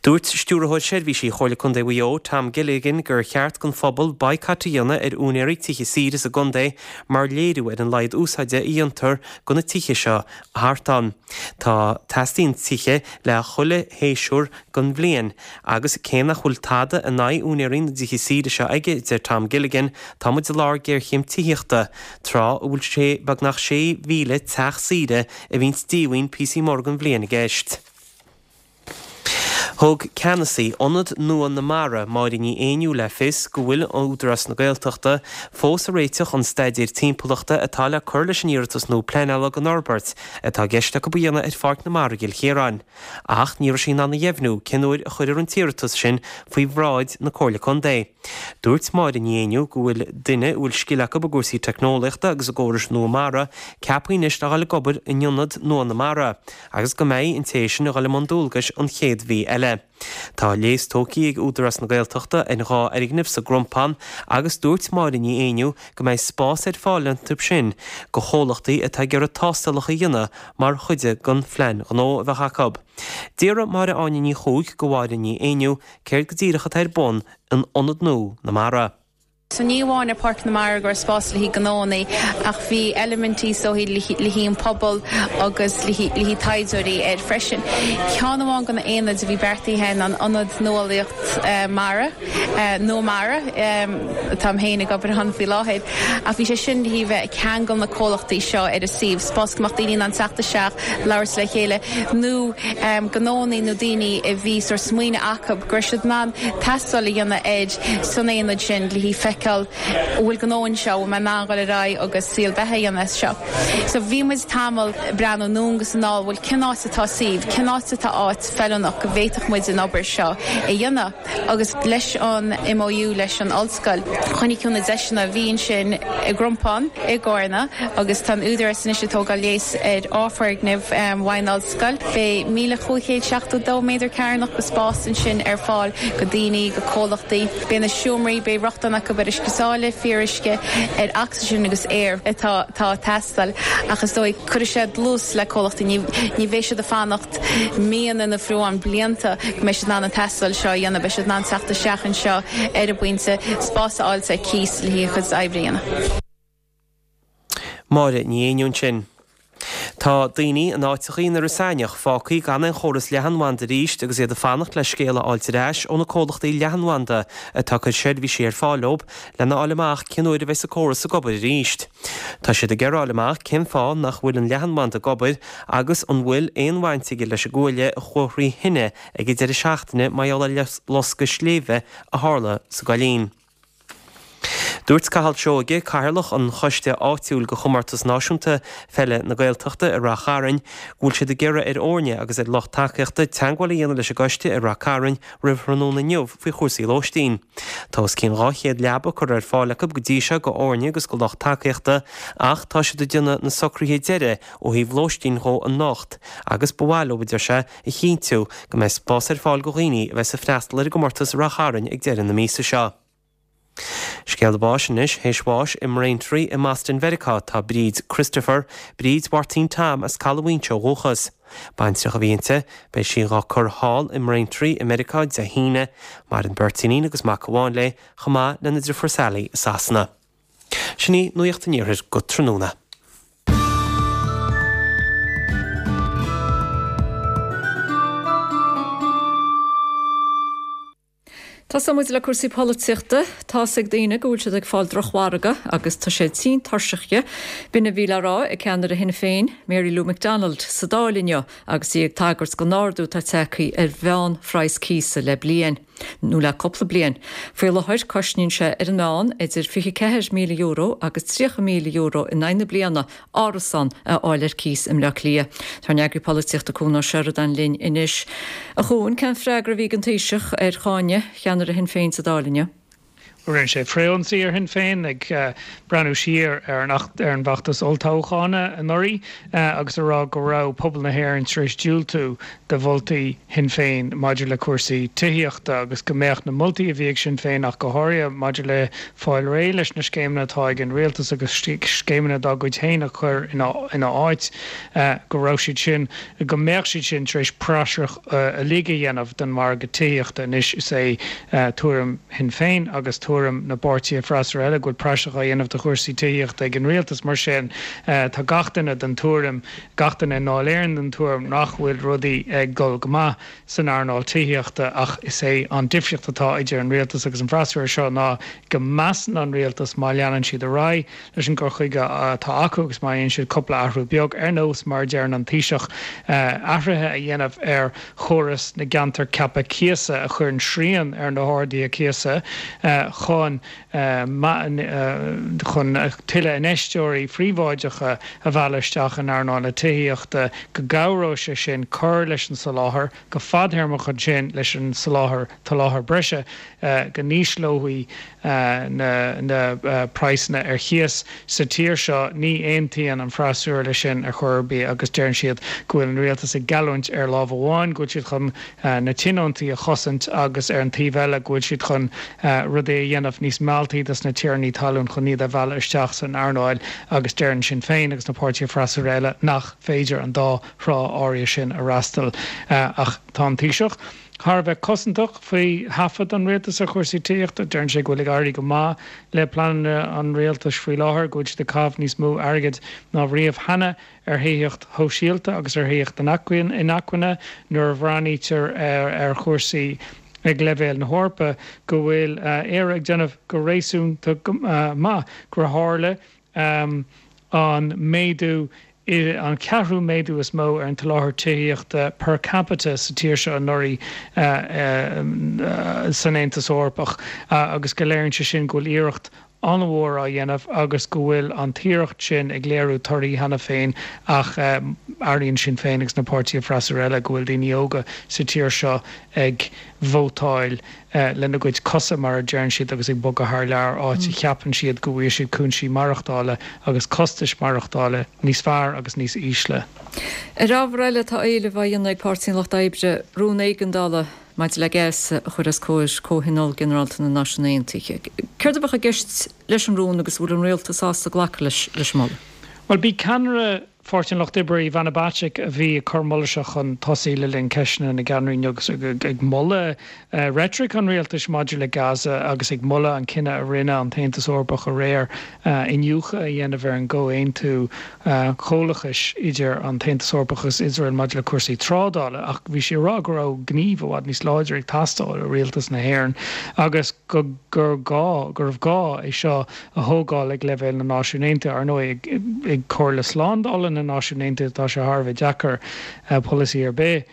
S11: Dúirt Stiúrthóir Seirbhísí Chomhairle Contae Mhaigh Eo, Tom Gilligan, gur cheart don phobal baghcat a dhéanamh ar úinéirí tithe saoire sa gcontae mar léiriú ar an laghad úsáide a dhéantar de na tithe seo thart ann. Tá teastaíonn tithe le chuile shéasúr den bhliain agus cé nach bhfuil tada in aghaidh úinéirí na dtithe saoire seo aige, deir Tom Gilligan, tá muid i lár géarchéim tithíochta, tráth a bhfuil sé beagnach sé mhíle teach saoire a bhíonns díomhaoin píosaí móra den bhliain i gceist. Thug ceannasaí Ionad Nua na Mara, Máire Ní Éinniú le fios go bhfuil Údarás na Gaeltachta fós ag réiteach an staidéir timpeallachta atá le cur leis an iarratas nua pleanála don fhorbairt atá i gceist acu a dhéanamh ar Pháirc na Mara i gCill Chiaráin. Ach ní raibh sí in ann a dheimhniú cén uair a chuirfear an t-iarratas sin faoi bhráid na Comhairle Contae. Dúirt Máire Ní Éinniú go bhfuil duine a bhfuil scil acu i gcúrsaí teicneolaíochta agus i gcórais nua mara ceaptha anois le dhul ag obair in Ionad Nua na Mara agus go mbeidh an té sin ag dhul i mbun dualgais an chéad mhí eile. Tá léas tógtha ag Údarás na Gaeltachta ar dhá fhoirgneamh sa gCrompán agus dúirt Máire Ní Éinniú go mbeidh spás ar fáil iontu sin go chomhlachtaí atá ag iarraidh tástálacha a dhéanamh mar chuid den phlean gnó a bheadh acu. D'fhiafraigh Máire Áine Ní Chuaig go Mháire Ní Éinniú céard go díreach atá ar bun in Ionad Nua na Mara.
S13: So ní amháin ar Páirc na Mara go raibh spás le haghaidh gnóanna ach bhí eilimintí is dóichí le haghaidh an pobal agus le haghaidh taighdeoirí air freisin. Ceann amháin de na aonaid a bhí beartaithe ná an Ionad Nuálaíocht Mara, Nua Mara, táim féin ag obair ann faoi láthair, ach bhí sé sin le haghaidh bheith ag ceangal na comhlachtaí seo ar an suíomh, spás go mbeadh daoine in ann teacht isteach, labhairt le chéile nó gnóanna nó daoine a bhí sórt smaoineamh acu go raibh siad in ann tástáil a dhéanamh air san aonad sin le haghaidh feiceáil an bhfuil gnó anseo, an bhfuil mé in ann dhul ar aghaidh agus saol beatha a dhéanamh as seo. So bhí muid tamall ag breathnú anonn agus anall, bhuel cén áit atá suíomh, cén áit atá áit feiliúnach go bhféadfadh muid an obair seo a dhéanamh agus leis an MOU leis an ollscoil, chonaic tú na deiseanna a bhí ansin i gCrompán, i gCarna agus tá an Údarás anois ag tógáil léas ar dhá foirgneamh uaidh an ollscoil. Beidh míle chúig chéad seachtó dó méadar cearnach de spás ansin ar fáil go daoine, go comhlachtaí. Beidh na seomraí, beidh rochtain acu ar uisce sáile, fíoruisce, ar ocsaigin agus aer atá ag teastáil ach is dóigh cuirfidh sé dlús le comhlachtaí, ní bheidh siad ag fanacht míonna nó fiú amháin blianta go mbeidh siad in ann an tástáil seo a dhéanamh, beidh siad in ann teacht isteach anseo ar an bpointe, spás a fháil ar cíos le haghaidh a gcuid oibre a dhéanamh.
S11: Máire Ní Éinniú ansin. Tá daoine in áiteachaí na Ros Eanaich fágtha gan aon chóras leathanbhanda arís agus iad ag fanacht le scéal a fháilt ar ais ó na comhlachtaí leathanbhanda atá ag cur seirbhísí ar fáil leo lena fháil amach cén uair a bheas an córas ag obair arís. Tá siad ag iarraidh a fháil amach cén fáth nach bhfuil an leathanbhanda ag obair agus an bhfuil aon bhaint aige leis an gcuaille a chuaigh thrí thine ag an deireadh seachtaine mar gheall ar loscadh sléibhe a tharla sa gCoillín. Dúirt Cathal Seoige, Cathaoirleach an Choiste Áitiúil do Chomórtas Náisiúnta Pheile na Gaeltachta i Rath Chairn, go bhfuil siad ag iarraidh ar fhoirne agus ar lucht tacaíochta teagmháil a dhéanamh leis an gcoiste i Rath Cairn roimh thráthnóna inniu faoi chúrsaí lóistín. Tá os cionn dhá chéad leaba curtha ar fáil acu go dtí seo do fhoirne agus do lucht tacaíochta ach tá siad ag déanamh na socruithe deiridh ó thaobh lóistín dhó anocht agus ba mhaith leo, a deir sé, a chinntiú go mbeidh spás ar fáil do dhaoine a bheas ag freastal ar an gcomórtas i Rath Chairn ag deireadh na míosa seo. Scéala báis anois, théis bháis i mBraintree i mBoston Mheiriceá tá Bríd Christopher, Bríd Mháirtín Tom as Caladh Mhaínse ó dhúchas. Baintreach a bhí inti, beidh sí dhá cur thall i mBraintree i Meiriceá Dé hAoine. Maireann beirt iníon agus mac amháin léi, chomh maith lena driofúr Sally i Sasana. Sin í Nuacht an Iarthair go tráthnóna.
S1: Tosóidh muid le cúrsaí polaitíochta. Tá's ag daoine go bhfuil siad ag fáil drochmhargadh agus tá siad tinn tuirseach dhe. B'in a bhí le rá ag ceannaire Shinn Féin, Mary Lou McDonald, sa Dáil inniu agus í ag tagairt don ardú atá tagtha ar mheánphraghas cíosa le bliain, nó le cúpla bliain. Faoi láthair, cosnaíonn sé ar an meán idir fiche ceathair míle euro agus tríocha míle euro in aghaidh na bliana árasán a fháil ar cíos i mBleá Cliath. Tá ár n-eagraí polaitíochta Cuan Ó Seireadáin linn anois. A Chuain, cén freagra a bhí ag an Taoiseach ar cháineadh cheannaire Shinn Féin sa Dáil inniu?
S14: Rinne sé frithionsaí ar Shinn Féin ag breathnú siar ar an ar an bhfeachtas olltoghcháin anuraidh agus a rá go raibh pobal na hÉireann tar éis diúltú do mholtaí Shinn Féin maidir le cúrsaí tithíochta agus go mbeadh na moltaí a bhí ag Sinn Féin ach go háirithe maidir le fáil réidh leis na scéimeanna atá ag an rialtas agus scéimeanna dá gcuid féin a chur ina áit, go raibh siad sin, go mbeadh siad sin tar éis praiseach uilig a dhéanamh den mhargadh tithíochta. Anois is é tuairim Shinn Féin agus tuairim na bpáirtithe freasúra eile go bhfuil praiseach á dhéanamh de chúrsaí tithíochta ag an rialtas. Mar sin, tá gach duine den tuairim, gach duine i nDáil Éireann den tuairim nach bhfuil rudaí ag dul go maith san earnáil tithíochta ach is é an difríocht atá idir an rialtas agus an freasúra seo ná go measann an rialtas má leanann siad ar aghaidh leis an gcur chuige atá acu agus má dhéanann siad cúpla athrú beag, ar nós mar a deireann an Taoiseach, athruithe a dhéanamh ar chóras na gceantar ceaptha cíosa a chuireann srian ar na harduithe cíosa chun chun tuilleadh infheisteoirí príobháideacha a mhealladh isteach in earnáil na tithíochta, go gcabhróidh sé sin cur leis an soláthar go fadtéarmach ansin leis an soláthar tsoláthar breise go n-ísleofaí na na praghsanna ar chíos sa tír seo. Ní aontaíonn an freasúra leis sin ar chor ar bith agus deireann siad go bhfuil an rialtas ag geallúint ar lámh amháin go bhfuil siad chun na tionóntaí a chosaint agus ar an taobh eile go bhfuil siad chun rudaí a dhéanamh níos mealltaí dos na tiarnaí talún chun iad a mhealladh isteach san earnáil agus deireann Sinn Féin agus na páirtithe freasúra eile nach féidir an dá thrá áirithe sin a fhreastal. Ach tá an Taoiseach thar a bheith cosantach faoi thaifead an rialtais ar chúrsaí tithíochta. Deireann sé go bhfuil ag éirí go maith le pleananna an rialtais faoi láthair, go bhfuil siad ag caitheamh níos mó airgid ná riamh cheana ar thithíocht shóisialta agus ar thithíocht inacmhainne nuair a bhreathnaítear ar chúrsaí ag leibhéal na hEorpa, go bhfuil Éire ag déanamh go réasúnta maith, gur tharla an méadú an ceathrú méadú is mó ar an tsoláthar tithíochta per capita sa tír seo anuraidh san Aontas Eorpach agus go léiríonn sé sin go bhfuil iarracht an-mhór á dhéanamh agus go bhfuil an t-iarracht sin ag léiriú torthaí cheana féin ach airíonn Sinn Féin agus na páirtithe freasúra eile go bhfuil daoine óga sa tír seo ag vótáil lena gcuid cosa, mar a deireann siad, agus ag bogadh thar lear, áit a cheapann siad go bhfaighidh siad cúinsí maireachtála agus costais maireachtála níos fearr agus níos ísle.
S1: Ar ábhar eile, tá éileamh á dhéanamh ag Páirtí an Lucht Oibre rún éigeandála maidir le Gaza a chur os comhair Comhthionól Ginearálta na Náisiún Aontaithe. Céard a bheadh i gceist leis an rún agus an bhfuil an rialtas sásta glacadh leis an moladh?
S14: Bhuel, bhí ceannaire Pháirtí an Lucht Oibre, Ivana Bacik, a bhí ag cur an mholadh seo chun tosaigh le linn ceisteanna na gceannairí inniu agus ag moladh reitric an rialtais maidir le Gaza agus ag moladh an cinneadh a rinne an tAontas Eorpach aréir iniúchadh a dhéanamh ar an gcomhaontú comhlachais idir an tAontas Eorpach agus Iosrael maidir le cúrsaí trádála ach bhí sí ag rá go raibh gníomh i bhfad níos láidre ag teastáil ó rialtas na hÉireann agus go gur gá go raibh gá é seo a thógáil ag leibhéal na Náisiún Aontaithe. Ar ndóigh ag Comhairle Slándála na Náisiún Aontaithe tá sé thar a bheith deacair polasaí ar bith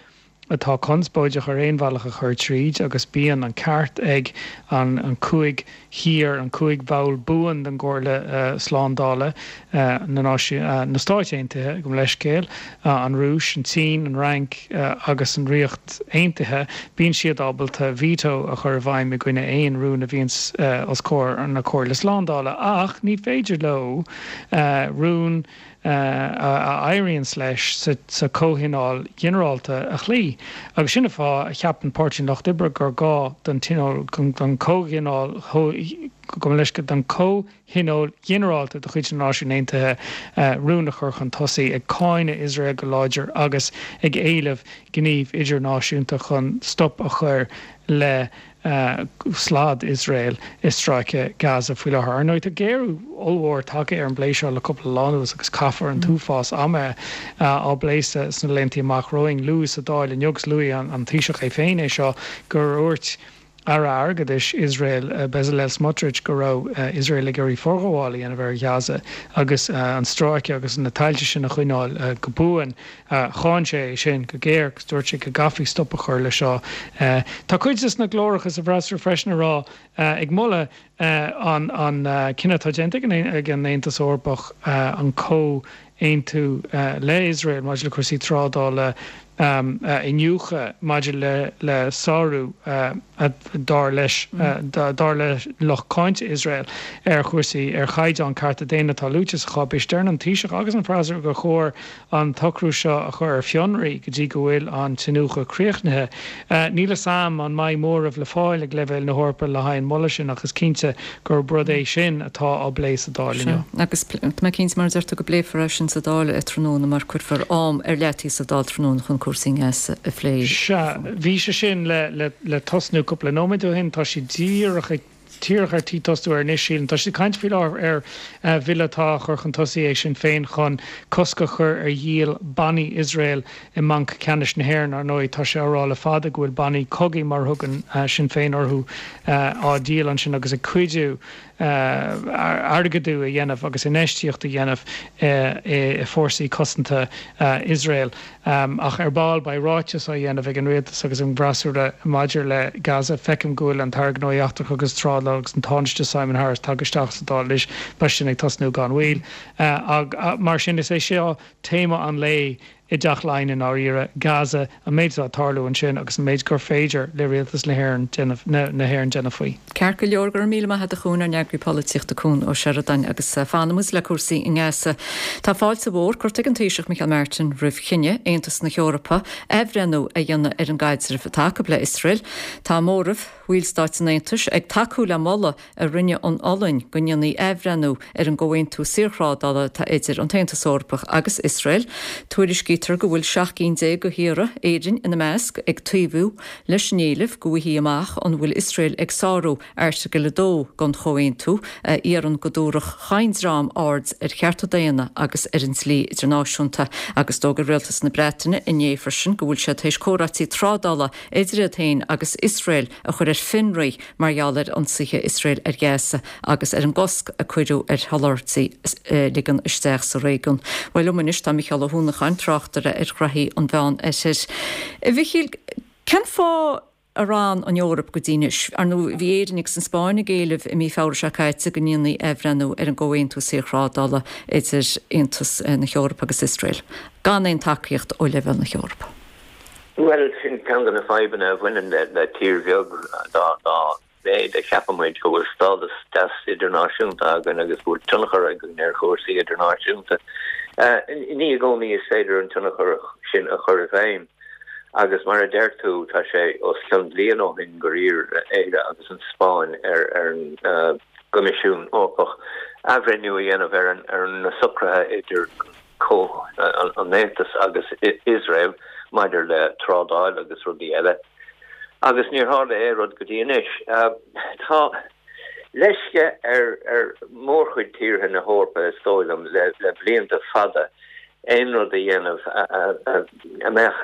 S14: atá conspóideach ar aon bhealach a chur tríd agus bíonn an ceart ag an an cúig thír, an cúig bhall buan den gComhairle Slándála, na Náisiún, na Stáit Aontaithe, gabh mo leithscéal, an Rúis, an tSín, an Fhrainc agus an Ríocht Aontaithe, bíonn siad ábalta veto a chur i bhfeidhm i gcoinne aon rún a bhíonns os comhair na Comhairle Slándála ach ní féidir leo rún a éiríonns leis sa Chomhthionól Ginearálta a chloí. Agus sin an fáth a cheapann Páirtí an Lucht Oibre gur gá don Tionól, don Chomhthionól, gabh mo leithscéal, don Chomhthionól Ginearálta de chuid na Náisiún Aontaithe rún a chur chun tosaigh ag cáineadh Iosrael go láidir agus ag éileamh gníomh idirnáisiúnta chun stop a chur le slad Iosrael i Stráice Gaza faoi láthair. Ar ndóigh, tá géarú ollmhór tagtha ar an bplé seo le cúpla lá anuas agus caithfear an t-uafás ama á bplé sna laethanta amach romhainn. Luadh sa Dáil inniu agus luaigh an Taoiseach é féin é seo gur dhúirt Aire Airgeadais Iosrael, Bezalel Smotrich, go raibh Iosrael ag iarraidh forghabháil a dhéanamh ar Ghaza agus an stráice agus na tailte sin a choinneáil go buan. Cháin sé é sin go géar agus dúirt sé go gcaithfí stop a chur leis seo. Tá cuid de na glóracha sa bhfreasúra freisin ag rá, ag moladh an cinneadh atá déanta ag an Aontas Eorpach an comhaontú le Iosrael maidir le cúrsaí trádála a iniúchadh maidir le le sárú dar leis dar le lucht cáinte Iosrael ar chúrsaí ar chaighdeán cearta daonna atá luaite sa cháipéis. Deireann an Taoiseach agus an freasúra gur chóir an t-socrú seo a chur ar fionraí go dtí go bhfuil an t-iniúchadh críochnaithe. Níl a fhios a'm an mbeidh móramh le fáil ag leibhéal na hEorpa le haghaidh an mholadh sin ach is cinnte gurb rud é sin atá á bplé sa Dáil inniu.
S1: Agus tá mé cinnte mar a deir tú go bpléifear é sin sa Dáil tráthnóna mar cuirfear am ar leataobh sa Dáil tráthnóna chun cúrsaí Gaza a phlé.
S14: Sea, bhí sé sin le le le tosnú cúpla nóiméad ó shin, tá sé díreach ag díreach ar tí tosú anois, sílim. Tá siad ag caint faoi láthair ar bhille atá á chur chun tosaigh ag Sinn Féin chun cosc a chur ar dhíol bannaí Iosrael i mBanc Ceannais na hÉireann. Ar ndóigh, tá sé á rá le fada go bhfuil bannaí cogaidh, mar a thugann Sinn Féin orthu, á dhíol ansin agus ag cuidiú airgeadú a dhéanamh agus infheistíocht a dhéanamh i bhfórsaí cosanta Iosrael. Ach ar ball beidh ráiteas á dhéanamh ag an rialtas agus an bhfreasúra maidir le Gaza. Feicim go bhfuil an tAire Gnóthaí Eachtracha agus Trádála agus an Tánaiste Simon Harris tagtha isteach sa Dáil anois. Beidh sin ag tosnú gan mhoill. Mar sin is é seo téama an lae i dTeach Laighean i ndáiríre, Gaza, an méid atá ag tarlú ansin agus an méid gur féidir le rialtas na hÉireann déanamh na hÉireann déanamh faoi.
S1: Ceart go leor, go raibh míle maith agat a Chuain, ár n-eagraí polaitíochta Cuan Ó Seireadáin agus fanfaidh muid le cúrsaí i nGaza. Tá fáilte mhór curtha ag an Taoiseach Micheál Martin roimh chinneadh Aontas na hEorpa athbhreithniú a dhéanamh ar an gcaidreamh atá acu le Iosrael. Tá móramh bhallstáit an Aontais ag tacú le moladh a rinne an Ollainn go ndéanfaí athbhreithniú ar an gcomhaontú saorthrádála atá idir an tAontas Eorpach agus Iosrael. Tuairiscítear go bhfuil seacht gcinn déag de thíortha, Éirinn ina measc, ag taobhú leis an éileamh go bhfaighfí amach an bhfuil Iosrael ag sárú Airteagal a dó den chomhaontú, a iarrann go dtabharfadh chaon dream aird ar chearta daonna agus ar an dlí idirnáisiúnta. Agus d'fhógair rialtas na Breataine inné freisin go bhfuil sé tar éis comhráití trádála idir iad féin agus Iosrael a chur ar fionraí mar gheall ar ionsaithe Iosrael ar Ghaza agus ar an gcosc a cuireadh ar sholáthairtí a ligean isteach sa réigiún. Bhuel liom anois tá Mícheál Ó hUanacháin, tráchtaire ar ghraithí an Mheán-Oirthir. A Mhichíl, cén fáth ar fhan an Eoraip go dtí anois? Ar ndóigh, bhí Éirinn agus an Spáinn ag éileamh i mí Feabhra seo caite go ndéanfaí athbhreithniú ar an gcomhaontú saorthrádála idir Aontas na hEorpa agus Iosrael, gan aon tacaíocht ó leibhéal na hEorpa.
S15: Bhuel, sin ceann de na fadhbanna a bhaineann le tír bheag dá mhéad a cheapann muid go bhfuil stádas deas idirnáisiúnta againn agus go bhfuil tionchar againn ar chúrsaí idirnáisiúnta. Ní i gcónaí is féidir an tionchar sin a chur i bhfeidhm agus mar a deir tú, tá sé os cionn bliain ó shin gur iarr Éire agus an Spáinn ar an gCoimisiún Eorpach athbhreithniú a dhéanamh ar na socruithe idir an Aontas agus Iosrael maidir le trádáil agus rudaí eile, agus níor tharla aon rud go dtí anois. Tá leisce ar ar mhórchuid tíortha na hEorpa, is dóigh liom, le blianta fada aon rud a dhéanamh a mbeadh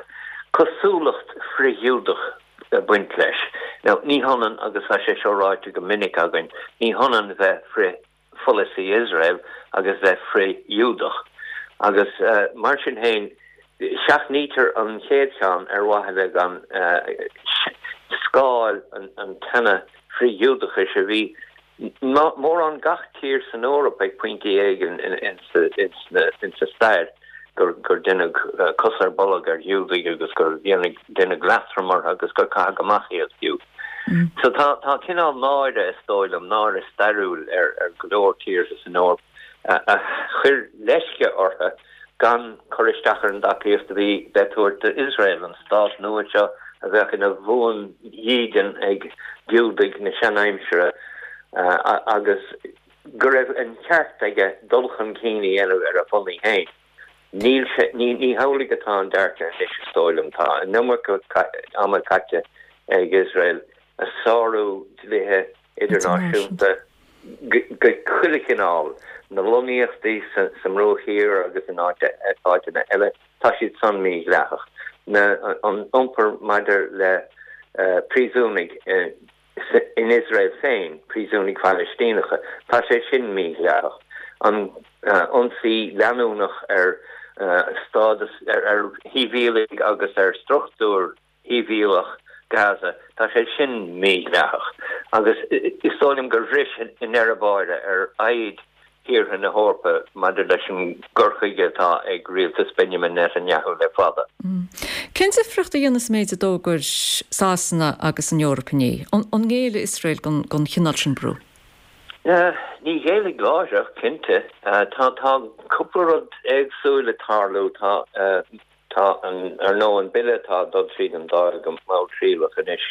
S15: cosúlacht frith-Ghiúdach ag baint leis. Now, ní hionann, agus tá sé seo ráite go minic againn, ní hionann bheith frith-pholasaí Iosrael agus bheith frith-Ghiúdach. Agus mar sin féin, seachnaítear an chéad cheann ar mhaithe le gan scáil an teine frith-Ghiúdachais a bhí mórán gach tír san Eoraip ag pointí éigin insa stair, gur deineadh cos ar bolg ar Ghiúdaigh agus gur deineadh leatrom orthu agus gur caitheadh amach iad fiú. So tá tá cineál náire, is dóigh liom, náire stairiúil ar go leor tíortha san Eoraip a chuir leisce orthu gan cur isteach ar an dtacaíocht a bhí le tabhairt d'Iosrael, an stát nua seo a bheadh ina bhuandhídean ag Giúdaigh na seanaimsire agus go raibh an ceart aige dul chun cinn a dhéanamh ar a pholasaí féin. Níl sé, ní, ní hamhlaidh atá an dearcadh anois, is dóigh liom. Tá an iomarca ama caite ag Iosrael ag sárú dlíthe idirnáisiúnta de chuile chineál, na lonnaíochtaí sa mBruach Thiar agus in áiteanna eile, tá siad san mídhleathach. Na, an iompar maidir le príosúnaigh in Iosrael féin, príosúnaigh Phalaistíneacha, tá sé sin mídhleathach. An ionsaí leanúnach ar stádas, ar shibhialaigh agus ar struchtúr shibhialach Gaza, tá sé sin mídhleathach. Agus is dóigh liom gur bhris i ndeireadh báire ar fhoighid thíortha na hEorpa maidir leis an gcur chuige atá ag rialtas Benjamin Netanyahu le fada.
S1: Cén difríocht a dhéanfas an méid a d'fhógair Sasana agus an Eoraip inné? An ngéillfidh Iosrael don chineál sin brú?
S15: Ní ghéillfidh láithreach, cinnte. Tá cúpla rud éagsúil ag tarlú. Tá Tá, ar ndóigh, an bille atá ag dul tríd an Dáil go malltriallach anois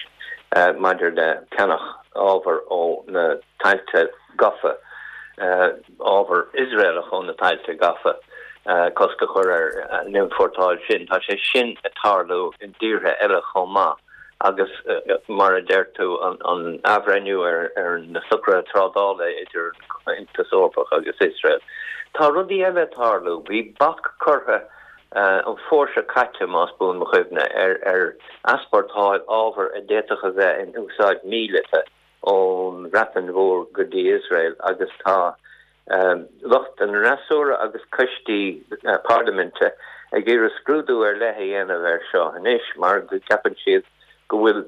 S15: maidir le ceannach ábhar ó na tailte gafa, ábhar Iosraelach ó na tailte gafa, cosc a chur ar an iompórtáil sin, tá sé sin ag tarlú i dtíortha eile chomh maith agus, mar a deir tú, an athbhreithniú ar na socruithe trádála idir an Aontas Eorpach agus Iosrael. Tá rudaí eile ag tarlú. Bhí bac curtha an fómhar seo caite, más buan mo chuimhne, ar easpórtáil ábhar a d'fhéadfadh a bheith in úsáid míleata ón Bhreatain Mhór go dtí Iosrael agus tá lucht an fhreasúra agus coistí parlaiminte ag iarraidh scrúdú ar leith a dhéanamh air seo anois mar go gceapann siad go bhfuil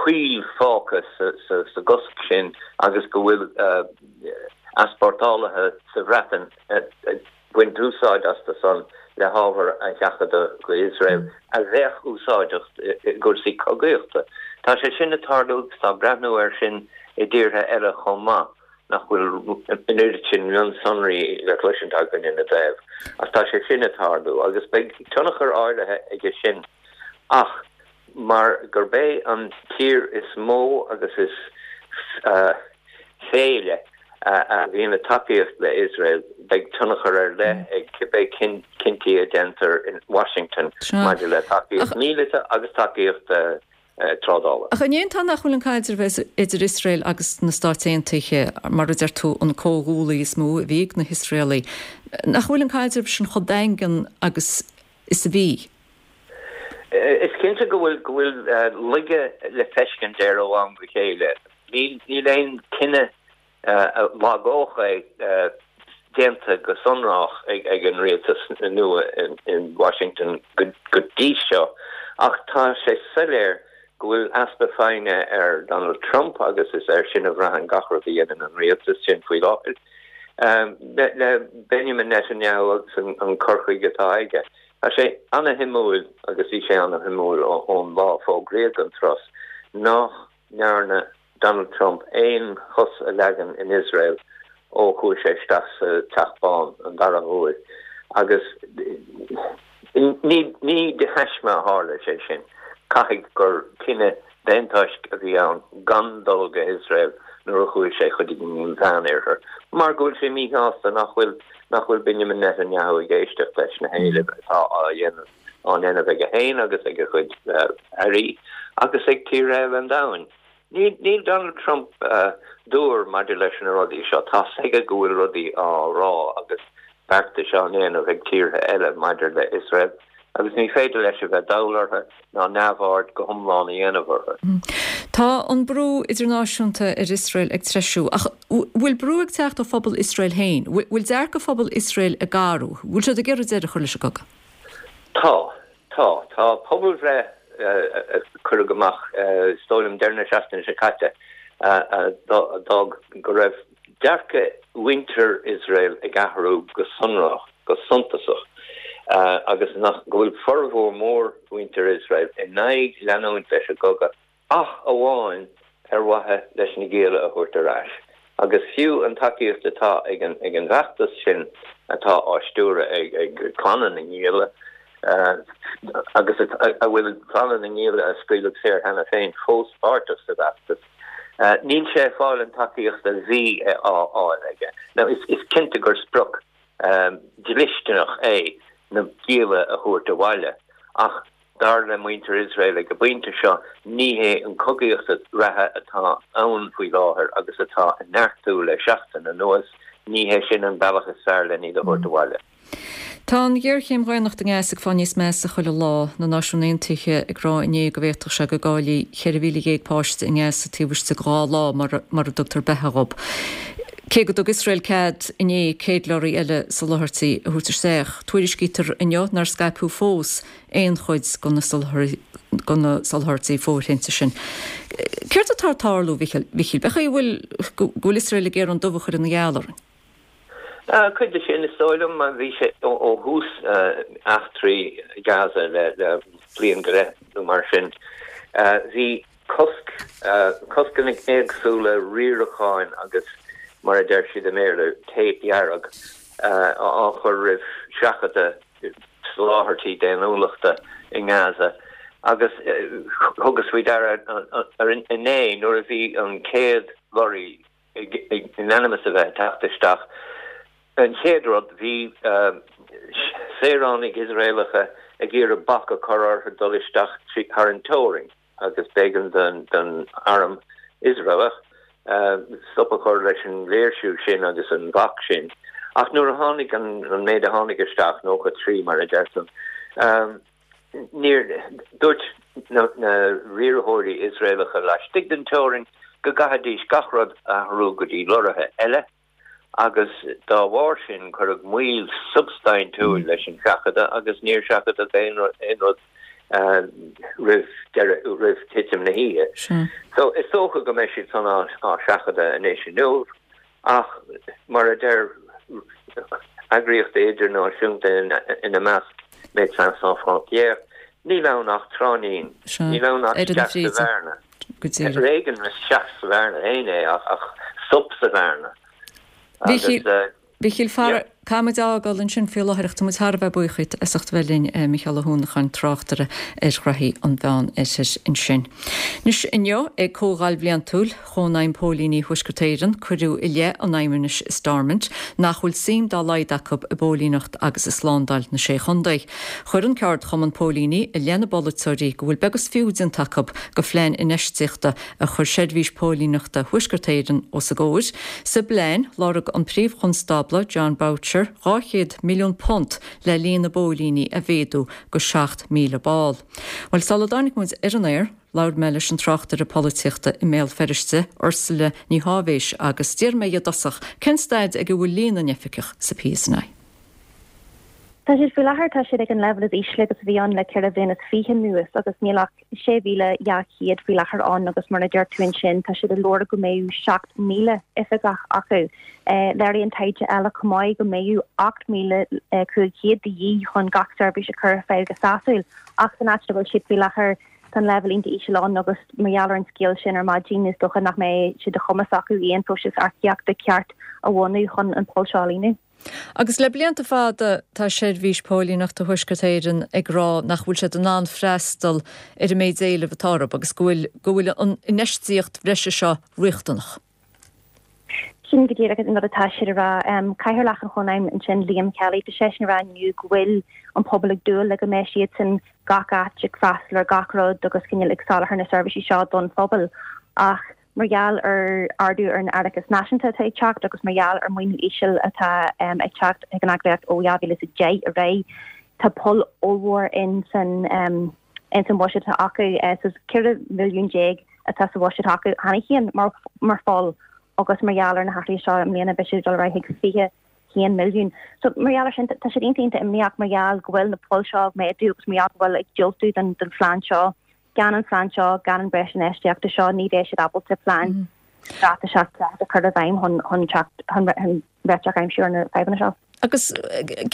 S15: poill fágtha sa gcosc sin agus go bhfuil easpórtálaithe sa Bhreatain ag baint úsáid astu san le hábhar a sheachadadh go Iosrael a bheadh úsáideach i gcúrsaí cogaíochta. Tá sé sin ag tarlú agus tá breathnú air sin i dtíortha eile chomh maith, nach bhfuil an oiread sin mionsonraí le cloisint againn ina dtaobh. Ach tá sé sin ag tarlú agus beidh tionchar áirithe aige sin. Ach mar gurb é an tír is mó agus is féile a bhíonn ag tacaíocht le Iosrael, beidh tionchar ar leith ag cibé cinntí a déantar in Washington maidir le tacaíocht míleata agus tacaíocht trádála.
S1: Ach an é an fáth nach bhfuil an caidreamh idir Iosrael agus na Stáit Aontaithe, mar a deir tú, an comhghuaillí is mó a bhí ag na hIosraelaigh, nach bhfuil an caidreamh sin chomh daingean agus is a bhí?
S15: Is cinnte go bhfuil go bhfuil laige le feiscint air ó am go chéile. Níl níl aon cinneadh a lagódh é déanta go sonrach ag ag an rialtas nua in Washington go go dtí seo ach tá sé soiléir go bhfuil easpa foighne ar Donald Trump agus is air sin a bhraitheann gach rud a dhéanann an rialtas sin faoi láthair le Benjamin Netanyahu agus an cur chuige atá aige. Tá sé ana-shuimiúil, agus bhí sé ana-shuimiúil ón lá a fógraíodh an turas, nach ndearna Donald Trump aon chos a leagan in Iosrael ó chuaigh sé isteach sa Teach Bán an dara huair agus ní de thaisme a tharla sé sin. Caithfidh gur cinneadh D'aon toisc a bhí ann gan dul go hIosrael nuair a chuaigh sé chuig an Mheánoirthear, mar go bhfuil sé míshásta nach bhfuil nach bhfuil Benjamin Netanyahu ag éisteacht leis na héilimh atá á dhéanamh á ndéanamh aige féin agus ag a chuid airí agus ag tíortha eile an domhain. Níl níl Donald Trump dúr maidir leis na rudaí seo. Tá's aige go bhfuil rudaí á rá agus beartais á ndéanamh ag tíortha eile maidir le Iosrael agus ní féidir leis a bheith dall orthu ná neamhaird go hiomlán a dhéanamh orthu.
S1: Tá an brú idirnáisiúnta ar Iosrael ag treisiú, ach bhfuil brú ag teacht ó phobal Iosrael féin? Bhfuil dearcadh phobal Iosrael ag athrú? Bhfuil siad ag iarraidh deireadh a chur leis an gcogadh?
S15: Tá. Tá. Tá pobalbhreith a cuireadh amach, is dóigh liom deireadh na seachtaine seo caite, a d'fhág go raibh dearcadh mhuintir Iosrael ag athrú go sonrach, go suntasach, agus nach go bhfuil formhór mór mhuintir Iosrael in aghaidh leanúint leis an gcogadh ach amháin ar mhaithe leis na gialla a thabhairt ar ais. Agus fiú an tacaíocht atá ag an ag an bhfeachtas sin atá á stiúradh ag ag clanna na ngialla, agus a bhfuil clanna na ngialla a scaoileadh saor cheana féin fós páirteach sa bhfeachtas, níl sé ag fáil an tacaíocht a bhí á fháil aige. Now is cinnte gur sprioc dlisteanach é na gialla a thabhairt abhaile, ach dar le muintir Iosrael ag an bpointe seo, ní hé an chogaíocht reatha atá ann faoi láthair agus atá ag neartú le seachtain anuas, ní hé sin an bealach is fearr len iad a thabhairt abhaile.
S1: Tá an ghéarchéim dhaonnachta i nGaza ag fáil níos measa chuile lá, na Náisiúin Aontaithe ag rá inné go bhféadfadh sé go gcaillfí ceithre mhíle dhéag páiste i nGaza taobh istigh de dhá lá mura dtugtar beatha dhób. Cé go dtug Iosrael cead inné céad lorraí eile soláthairtí a thabhairt isteach, tuairiscítear inniu nár scaipeadh fós aon chuid de na soláthairtí fóirithinte sin. Céard atá ag tarlú, a Mhíchíl? B'é chaoi a bhfuil go bhfuil Iosrael ag iarraidh an dubh a chur ina gheal orainn?
S15: Cuid de sin, is dóigh liom, bhí sé ó thús eachtraí Gaza le bliain go leith nó mar sin, bhí cosc, coscanna éagsúla riaracháin agus mar a deir siad i mBéarla, téip dhearg, á chur roimh seachadadh soláthairtí daonnúlachta i nGaza agus thugas faoi deara inné nuair a bhí an chéad lorraí in ainm is a bheith ag teacht isteach. An chéad rud, bhí saoránaigh Iosraelacha ag iarraidh bac a chur orthu dul isteach thar an teorainn agus b'éigean don arm Iosraelach stop a chur leis an léirsiú sin agus an bhac sin. Ach nuair a tháinig an méid a tháinig isteach, nócha trí mar a deirtear, Níor, dúirt na riarthóirí Iosraelacha laistigh den teorainn go gcaithfidís gach rud a athrú go dtí lorraithe eile agus dá bharr sin cuireadh moill shubstaintiúil leis an seachadadh agus níor seachadadh aon rud roimh deireadh, roimh thitim na hoíche. So is dócha go mbeidh siad san á seachadadh anois inniu. Ach mar a deir eagraíochtaí idirnáisiúnta ina measc Médecins Sans Frontières, níl ann ach tráithnín, níl ann ach isteach sa bhearna. Ar éigean isteach sa bhearna féin é ach stop sa bhearna.
S1: Agus. Mhíchíl, caithfidh muid a fhágáil ansin faoi láthair ach tá muid thar a bheith buíoch díot as ucht a bheith linn, Mícheál Ó hUanacháin, tráchtaire ar ghraithí an Mheán Oirthir ansin. Anois inniu ag Comhdháil Bhliantúil Chónaidhm Póilíní Thuaisceart Éireann cuireadh i leith an Fheidhmeannais i Stormont nach bhfuil suim dá laghad acu i bpóilíneacht agus i slándáil na Sé Chontae. Chuir an ceardchumann póilíní i leith na bpolaiteoirí go bhfuil beag is fiú déanta acu de phlean infheistíochta a chuir Seirbhís Póilíneachta Thuaisceart Éireann os a gcomhair. Sa bplean, lorg an Príomh-Chonstábla Jon Boutcher dhá chéad milliún punt le líon na bpóilíní a mhéadú go seacht míle ball. Bhuel, sula dtáinig muid ar an aer, labhair mé leis an tráchtaire polaitíochta i mBéal Feirste, Ursula Ní Sháibhéis, agus d'iarr mé dhi i dtosach cén staid ag a bhfuil líon na n-oifigeach sa PSNI.
S12: Tá siad faoi láthair, tá siad ag an leibhéal is ísle agus a bhí ann le ceithre bhliain is fiche anuas agus níl ach sé mhíle dhá chéad faoi láthair ann agus mar a deir tú ansin, tá siad ag lorg go mbeadh seacht míle oifigeach acu. Léiríonn taighde eile chomh maith go mbeadh ocht míle cúig chéad de dhíth chun gach seirbhís a chur ar fáil go sásúil ach san áit a bhfuil siad faoi láthair, Tá an leibhéal iontach íseal ann agus mar gheall ar an scéal sin ar maidin is dócha nach mbeidh sé de chumas acu aon próiseas earcaíochta ceart a bhunú chun an poll seo a líonadh.
S1: Agus le blianta fada tá Seirbhís Póilíneachta Thuaisceart Éireann ag rá nach bhfuil siad in ann freastal ar an méid éilimh atá orthu agus go bhfuil go bhfuil an infheistíocht bhreise seo riachtanach.
S12: Sin go díreach an rud atá siad a rá. Cathaoirleach an Chónaidhm ansin, Liam Kelly, tá seisean a rá inniu go bhfuil an pobal ag dúil le go mbeidh siadsan gach áit ag freastal ar gach rud agus cineál ag soláthar na seirbhísí seo don phobal ach mar gheall ar ardú ar an árachas náisiúnta atá ag teacht agus mar gheall ar maoiniú íseal atá ag teacht ag an eagraíocht ó dhá mhíle is a deich ar aghaidh, tá poll ollmhór in san in san bhuiséad atá acu. So ceithre mhilliún déag atá sa bhuiséad acu cheana féin mar mar pholl agus mar gheall ar na hathruithe seo i mbliana beidh sé ag dul ar aghaidh chuig fiche haon milliún. So mar gheall ar sin tá siad iontach iontach imníoch mar gheall go bhfuil na poill seo ag méadú agus mar gheall go bhfuil ag diúltú don don phlean seo. Gan an phlean seo, gan an breis infheistíochta seo ní bheidh siad ábalta plean straitéiseach ceart a chur i bhfeidhm chun chun teacht chun réiteach a aimsiú ar na fadhbanna seo.
S1: Agus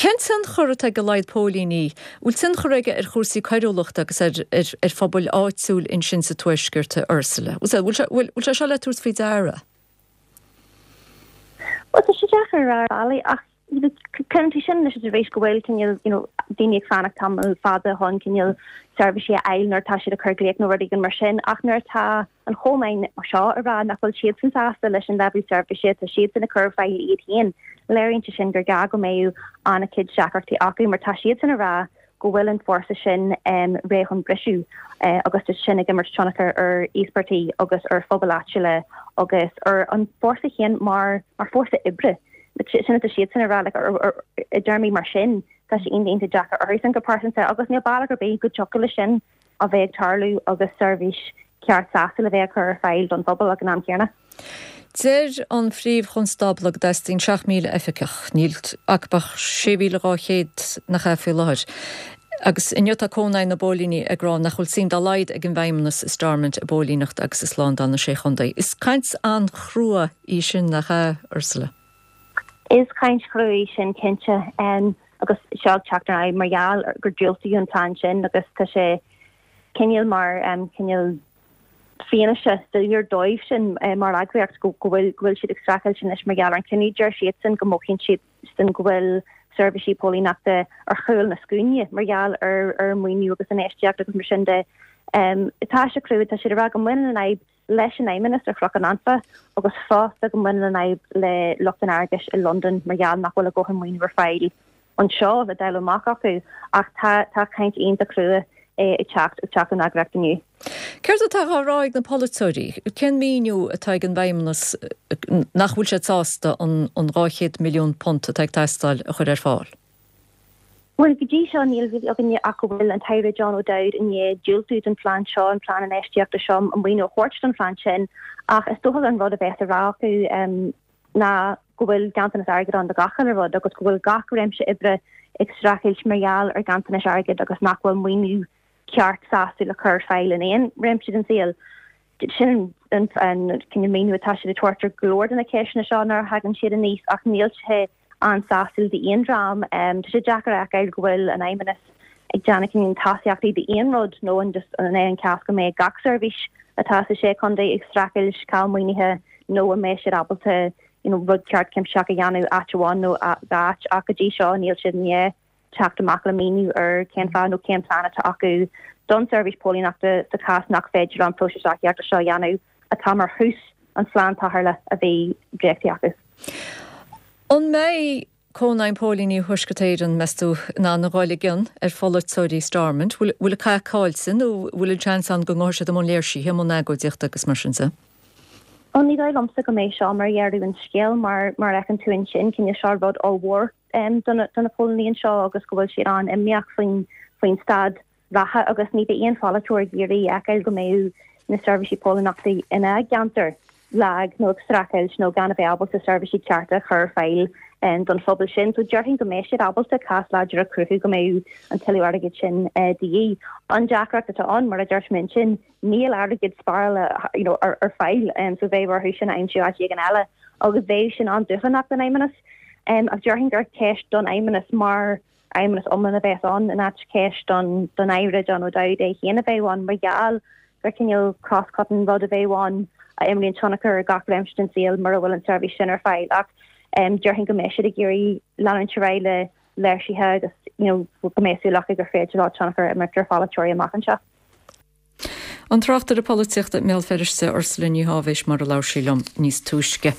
S1: cén tionchar atá ag a laghad póilíní? Bhfuil tionchar aige ar chúrsaí coiriúlachta agus ar ar ar phobail áitiúil ansin sa Tuaisceart, a Ursula? Bhfuil sé bhfuil sé seo le tabhairt faoi deara?
S12: Bhuel, tá sé deacair a rá ar bhealaí ach cuireann tú sin leis arís go bhfuil cineál you know daoine ag fanacht tamall fada chun cineál seirbhísí a fháil nuair atá siad ag cur glaoch nó rud éigin mar sin ach nuair atá an Chónaidhm seo ag rá nach bhfuil siadsan sásta leis an leibhéal seirbhíse atá siadsan ag cur ar fáil iad féin, léiríonn sé sin gur gá go mbeadh an-chuid deacrachtaí acu mar tá siadsan ag rá go bhfuil an fórsa sin réidh chun briseadh agus tá sin ag imirt tionchar ar íospartaigh agus ar phobail áitiúla agus ar an bhfórsa féin mar mar fórsa oibre. Sin atá siadsan ag rá like i dtéarmaí mar sin tá sé iontach deacair orthusan go pearsanta agus níl bealach ar bith go dtiocfadh leis sin a bheith ag tarlú agus seirbhís ceart sásúil a bheith á cur ar fáil don phobal ag an am céanna.
S1: Deir an Phríomh-Chonstábla go dteastaíonn seacht míle oifigeach. Níl acu ach sé mhíle dhá chéad nach ea faoi láthair. Agus inniu tá Cónaidhm na bPóilíní ag rá nach bhfuil suim dá laghad ag an bhFeidhmeannas i Stormont i bpóilíneacht agus i slándáil na Sé Chontae. Is caint an-chrua í sin, nach ea, Ursula?
S12: Is caint chrua í sin cinnte agus seo ag teacht ar aghaidh mar gheall gur diúltaíodh an plean sin agus tá sé cineál mar cineál fianaise soiléir dóibh sin mar eagraíocht go bhfuil go bhfuil siad ag streachailt anois mar gheall ar an cinneadh. Deir siadsan go mothaíonn siadsan go bhfuil seirbhísí póilíneachta ar chúl na scuaine mar gheall ar ar maoiniú agus infheistíocht agus mar sin de. Tá sé crua, tá siad ag rá go mbaineann an fhadhb leis an Fheidhmeannas ar Chnoc an Anfa agus fosta go mbaineann an fhadhb le lucht an airgeadais i Londain mar gheall nach bhfuil a ndóthain maoiniú ar fáil anseo le dáileadh amach acu ach tá tá caint iontach crua ag teacht ag teacht ón eagraíocht inniu.
S1: Céard atá á rá ag na polaiteoirí? Cén míniú atá ag an bhFeidhmeannas nach bhfuil siad sásta an an dhá chéad milliún punt atá ag teastáil a chur ar fáil?
S12: Bhuel, go dtí seo níl a fhios againne ach go bhfuil an tAire John O'Dowd i ndiaidh diúltú don phlean seo, an plean infheistíochta seo, an maoiniú a thabhairt don phlean sin ach is dócha an rud a bheas á rá acu ná go bhfuil ganntanas airgid ann do gach uile rud agus go bhfuil gach réimse oibre ag streachailt mar gheall ar ghanntanais airgid agus nach bhfuil maoiniú ceart sásúil le cur ar fáil in aon réimse den saol. Sin an cineál míniú atá siad ag tabhairt ar go leor de na ceisteanna seo nuair a thagann siad aníos ach níl sé an-sásúil d'aon dream. Tá sé deacair a fheiceáil go bhfuil an Fheidhmeannas ag déanamh cineál tosaíochtaí d'aon rud nó an just an é an cás go mbeidh gach seirbhís atá sa sé chontae ag streachailt ceal maoinithe nó an mbeidh siad ábalta you know rud ceart cuimsitheach a dhéanamh áit amháin nó dhá áit ach go dtí seo níl siad i ndiaidh teacht amach le míniú ar cén fáth nó cén plean atá acu don seirbhís póilíneachta sa chás nach féidir an próiseas earcaíochta seo a dhéanamh atá mar thús an phlean tarrthála a bhí dréachtaithe acu.
S1: An mbeidh Cónaidhm Póilíní Thuaisceart Éireann, meas tú, in ann a dhul i gcion ar pholaiteoirí Stormont? Bhfuil an cath caillte nó bhfuil an seans ann go ngabhfaidh siad i mbun léirsithe, i mbun agóidíochta agus mar sin de?
S12: Bhuel, ní dóigh liomsa go mbeidh seo mar dheireadh an scéil mar mar a fheiceann tú ansin, cineál seo rud ollmhór do na póilíní anseo agus go bhfuil siad an-imníoch faoin faoin staid reatha agus ní bheidh aon pholaiteoir ag iarraidh a fheiceáil go mbeadh na seirbhísí póilíneachta ina gceantar lag nó ag streachailt nó gan a bheith ábalta seirbhísí cearta a chur ar fáil don phobal sin. So déarfainn go mbeidh siad ábalta cás láidir a chruthú go mbeidh an tuilleadh airgid sin de dhíth. An deacracht atá ann, mar a dúirt mé ansin, níl airgead spáráilte you know ar ar fáil so bheadh orthu sin a aimsiú áit éigin eile agus bheadh sin an-dúshlánach don Fheidhmeannas. Ach déarfainn gur ceist don Fheidhmeannas mar fheidhmeannas iomlán a bheas ann in áit ceist don don Aire John O'Dowd é féin a bheith ann mar gheall gur cineál cross-cutting rud a bheadh ann a imríonn tionchar ar gach réimse den saol mura bhfuil an tseirbhís sin ar fáil ach déarfainn go mbeidh siad ag iarraidh leanúint ar aghaidh le léirsithe agus you know go mbeidh súil acu gur féidir leo tionchar a imirt ar pholaiteoirí amach anseo.
S1: An tráchtaire polaitíochta i mBéal Feirste Ursula Ní Tháibhéis mar a labhair sí liom níos túisce.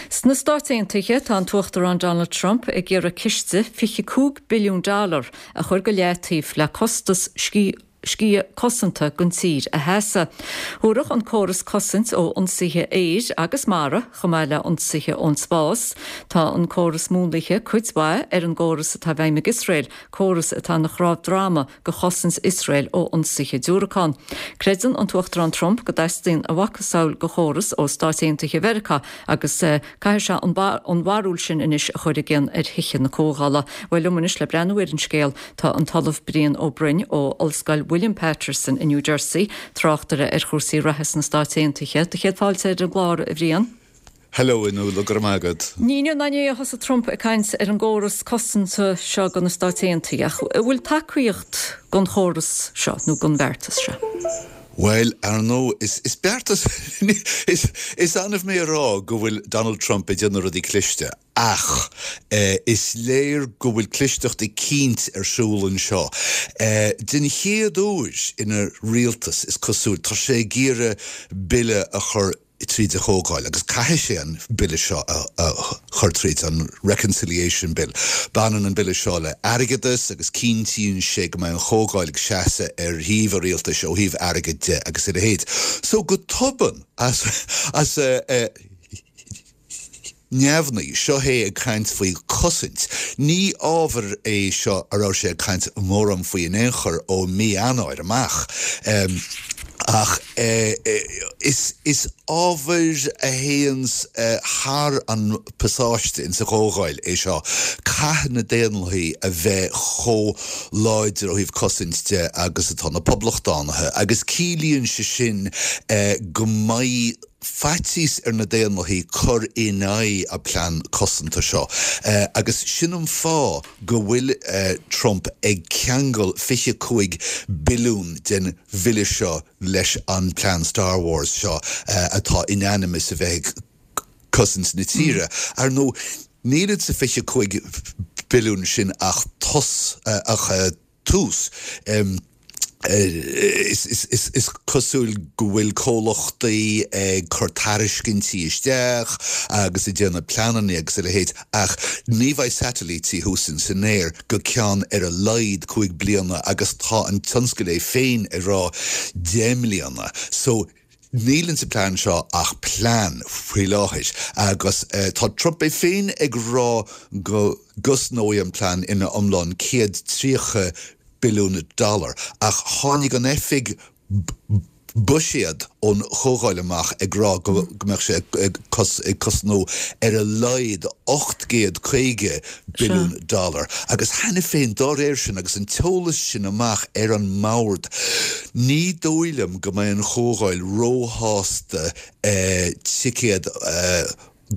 S1: Sna Stáit Aontaithe tá an tUachtarán Donald Trump ag iarraidh ciste fiche cúig billiún dollar a chur go leataobh le costas sciath sciath cosanta don tír a sheasamh. Thabharfadh an córas cosaint ó ionsaithe aeir agus mara, chomh maith le ionsaithe ón spás. Tá an córas múnlaithe cuid mhaith ar an gcóras atá i bhfeidhm ag Iosrael, córas atá ina chnámh droma do chosaint Iosrael ó ionsaithe diúracán. Creideann an tUachtarán Trump go dteastaíonn a mhacasamhail de chóras ó Stáit Aontaithe Mheiriceá agus caithfidh sé an bharúil sin anois a chur i gcion ar Thithe na Comhdhála. Bhuel, liom anois le breathnú ar an scéal tá an tOllamh Brian Ó Broin ó Ollscoil William Paterson i New Jersey, tráchtaire ar chúrsaí reatha sna Stáit Aontaithe. Do chéad fáilte ar an gclár, a Bhriain.
S16: Hello, a Nuala, go raibh maith agat.
S1: Ní inniu ná inné a thosaigh Trump ag caint ar an gcóras cosanta seo do na Stáit Aontaithe, ach an bhfuil tacaíocht don chóras seo nó don bheartas seo?
S16: Bhuel, ar ndóigh, is is beartas is is annamh mé a rá go bhfuil Donald Trump ag déanamh rudaí cliste, ach is léir go bhfuil clisteacht eicínt ar siúl anseo. Den chéad uair ina rialtas, is cosúil, tá sé ag iarraidh bille a chur tríd an Chomhdháil, agus caithfidh sé an bille seo a chur tríd, an Reconciliation Bill. Baineann an bille seo le airgeadas agus cinntíonn sé go mbeidh an Chomhdháil ag seasamh ar thaobh an rialtais ó thaobh airgid de agus a leithéid. So go tobann, as as neamhní, seo é ag caint faoi chosaint. Ní ábhar é seo a raibh sé ag caint mórán faoi in aon chor ó mí Eanáir amach. Ach is is ábhar a théanns thar an pasáiste insa Chomhdháil é seo. Caithfidh na Daonlathaigh a bheith chomh láidir ó thaobh cosaint de agus atá na Poblachtánaithe agus ciallaíonn sé sin go mbeidh faitíos ar na Daonlathaigh cur in aghaidh an plean cosanta seo. Agus sin an fáth go bhfuil Trump ag ceangal fiche cúig billiún den bhille seo leis an plean Star Wars seo atá in ainm is a bheith ag cosaint na tíre. Ar ndóigh, níl sa fiche cúig billiún sin ach ach tús. Is cosúil go bhfuil comhlachtaí ag cur tairiscintí isteach agus ag déanamh pleananna agus a leithéid ach ní bheidh satailítí thuas in san aer go ceann ar a laghad cúig bliana agus tá an tionscal é féin ag rá deich mbliana. So níl insa plean seo ach plean faoi láthair agus tá Trump é féin ag rá go gcosnóidh an plean ina iomlán céad tríocha billiún dollar, ach tháinig an oifig buiséad ón Chomhdháil amach ag rá go mbeadh sé ag cosnú ar a laghad ocht gcéad caoga billiún dollar. Agus cheana féin, dá réir sin, agus an t-eolas sin amach ar an mbord, ní dóigh liom go mbeidh an Chomhdháil róshásta ticéad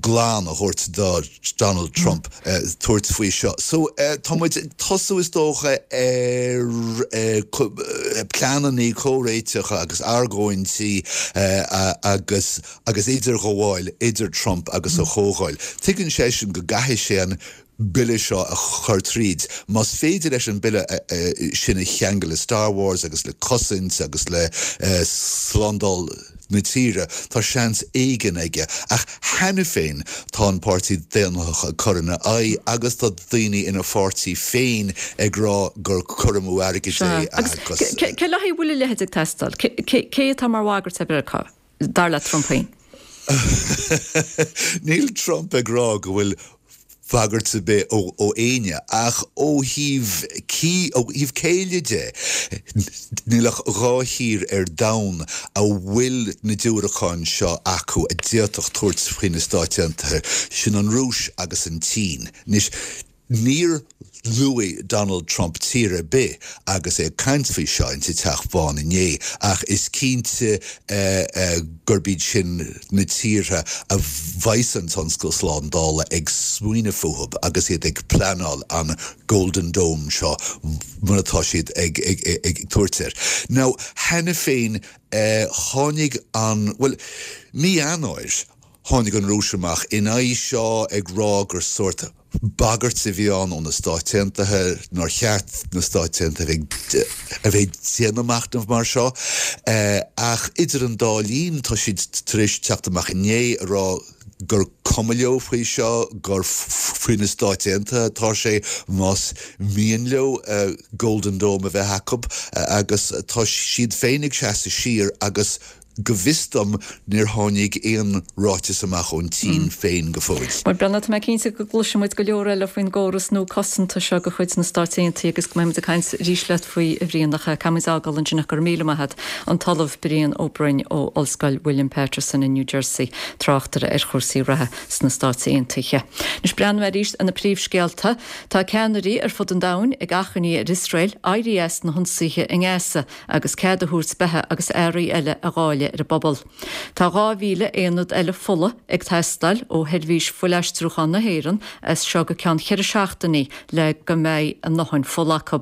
S16: glan a thabhairt do Donald Trump tabhairt faoi seo. So tá muid ag tosú is dócha ar pleananna comhréiteacha agus argóintí agus agus idirghabháil idir Trump agus a Chomhdháil. Tuigeann seisean go gcaithfidh sé an bille seo a chur tríd. Más féidir leis an bille sin a cheangal le Star Wars agus le cosaint agus le slándáil na tíre, tá seans éigin aige. Ach cheana féin tá an Páirtí Daonlathach ag cur ina aghaidh agus tá daoine ina pháirtí féin ag rá gur cur amú airgid é
S1: agus. Cé le haghaidh a bhfuil a leithéid ag teastáil? Cé atá mar bhagairt ar Mheiriceá, dar le Trump féin?
S16: Níl Trump ag rá go bhfuil bagairt ar bith ó éinne, ach ó thaobh ó thaobh céille de, níl ach dhá thír ar domhan a bhfuil na diúracáin seo acu a d'fhéadfadh tabhairt faoi na Stáit Aontaithe, sin an Rúis agus an tSín. Anois, Níor luaigh Donald Trump tír ar bith agus é ag caint faoi seo insa Teach Bán inné, ach is cinnte gurb iad sin na tíortha a bheas an tionscal slándála ag smaoineamh fúthu agus iad ag pleanáil an Golden Dome seo mar atá siad ag tabhairt air. Now, cheana féin tháinig an, bhuel, mí Eanáir, tháinig an Rúis amach in aghaidh seo ag rá gur sórt bagairt a bhí ann ó na Stáit Aontaithe, nár cheart na Stáit Aontaithe a bheith ag déanamh machnamh mar seo. Ach idir an dá linn tá siad tar éis teacht amach inné a rá gur cuma leo faoi seo, gur faoi na Stáit Aontaithe atá sé más mian leo Golden Dome a bheith acu agus tá siad féin ag seasamh siar agus Go bhfios dom níor tháinig aon ráiteas amach ón tSín féin go fóill.
S1: Bhuel, Breandán, tá mé cinnte go gcloisfidh muid go leor eile faoin gcóras nua cosanta seo de chuid na Stáit Aontaithe agus go mbeidh muid ag caint arís leat faoi, a Bhriain, ach caithfidh muid fhágáil ansin ach go raibh míle maith agat. An tOllamh Brian Ó Broin ó Ollscoil William Paterson in New Jersey, tráchtaire ar chúrsaí reatha sna Stáit Aontaithe. Anois breathnú arís ar na príomhscéalta. Tá ceannairí ar fud an domhain ag achainí ar Iosrael éirí as na hionsaithe i nGaza agus cead a thabhairt beatha agus earraí eile a dháileadh ar an bpobal. Tá dhá mhíle aonad eile fola ag teastáil ó Sheirbhís Fuilaistriúcháin na hÉireann as seo go ceann cheithre seachtainí le go mbeidh a ndóthain fola acu.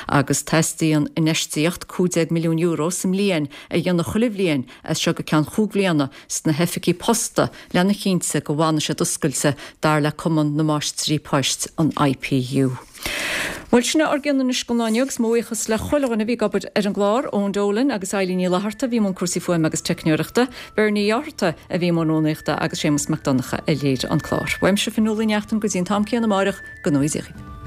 S1: Agus teastaíonn infheistíocht cúig déag milliún euro sa mbliain a dhéanamh chuile bhliain as seo go ceann chúig bhliana sna hoifigí posta lena chinnte go bhfanfaidh siad oscailte, dar le Cumann na Máistrí Poist, an I P U. Bhuel, sin é ár gcion anois don lá inniu agus mo bhuíochas le chuile dhuine a bhí ag obair ar an gclár, Eoin Dolan agus Eileen Ní Fhlatharta a bhí i mbun cúrsaí fuaime agus teicneoireachta, Bernie Ó Fhátharta a bhí i mbun rúnaíochta agus Séamus Mac Donncha a léirigh an clár. Uaimse Fionnuala Ní Neachtain go dtí an t-am céanna amáireach, go ngnóthaí Dia dhaoibh.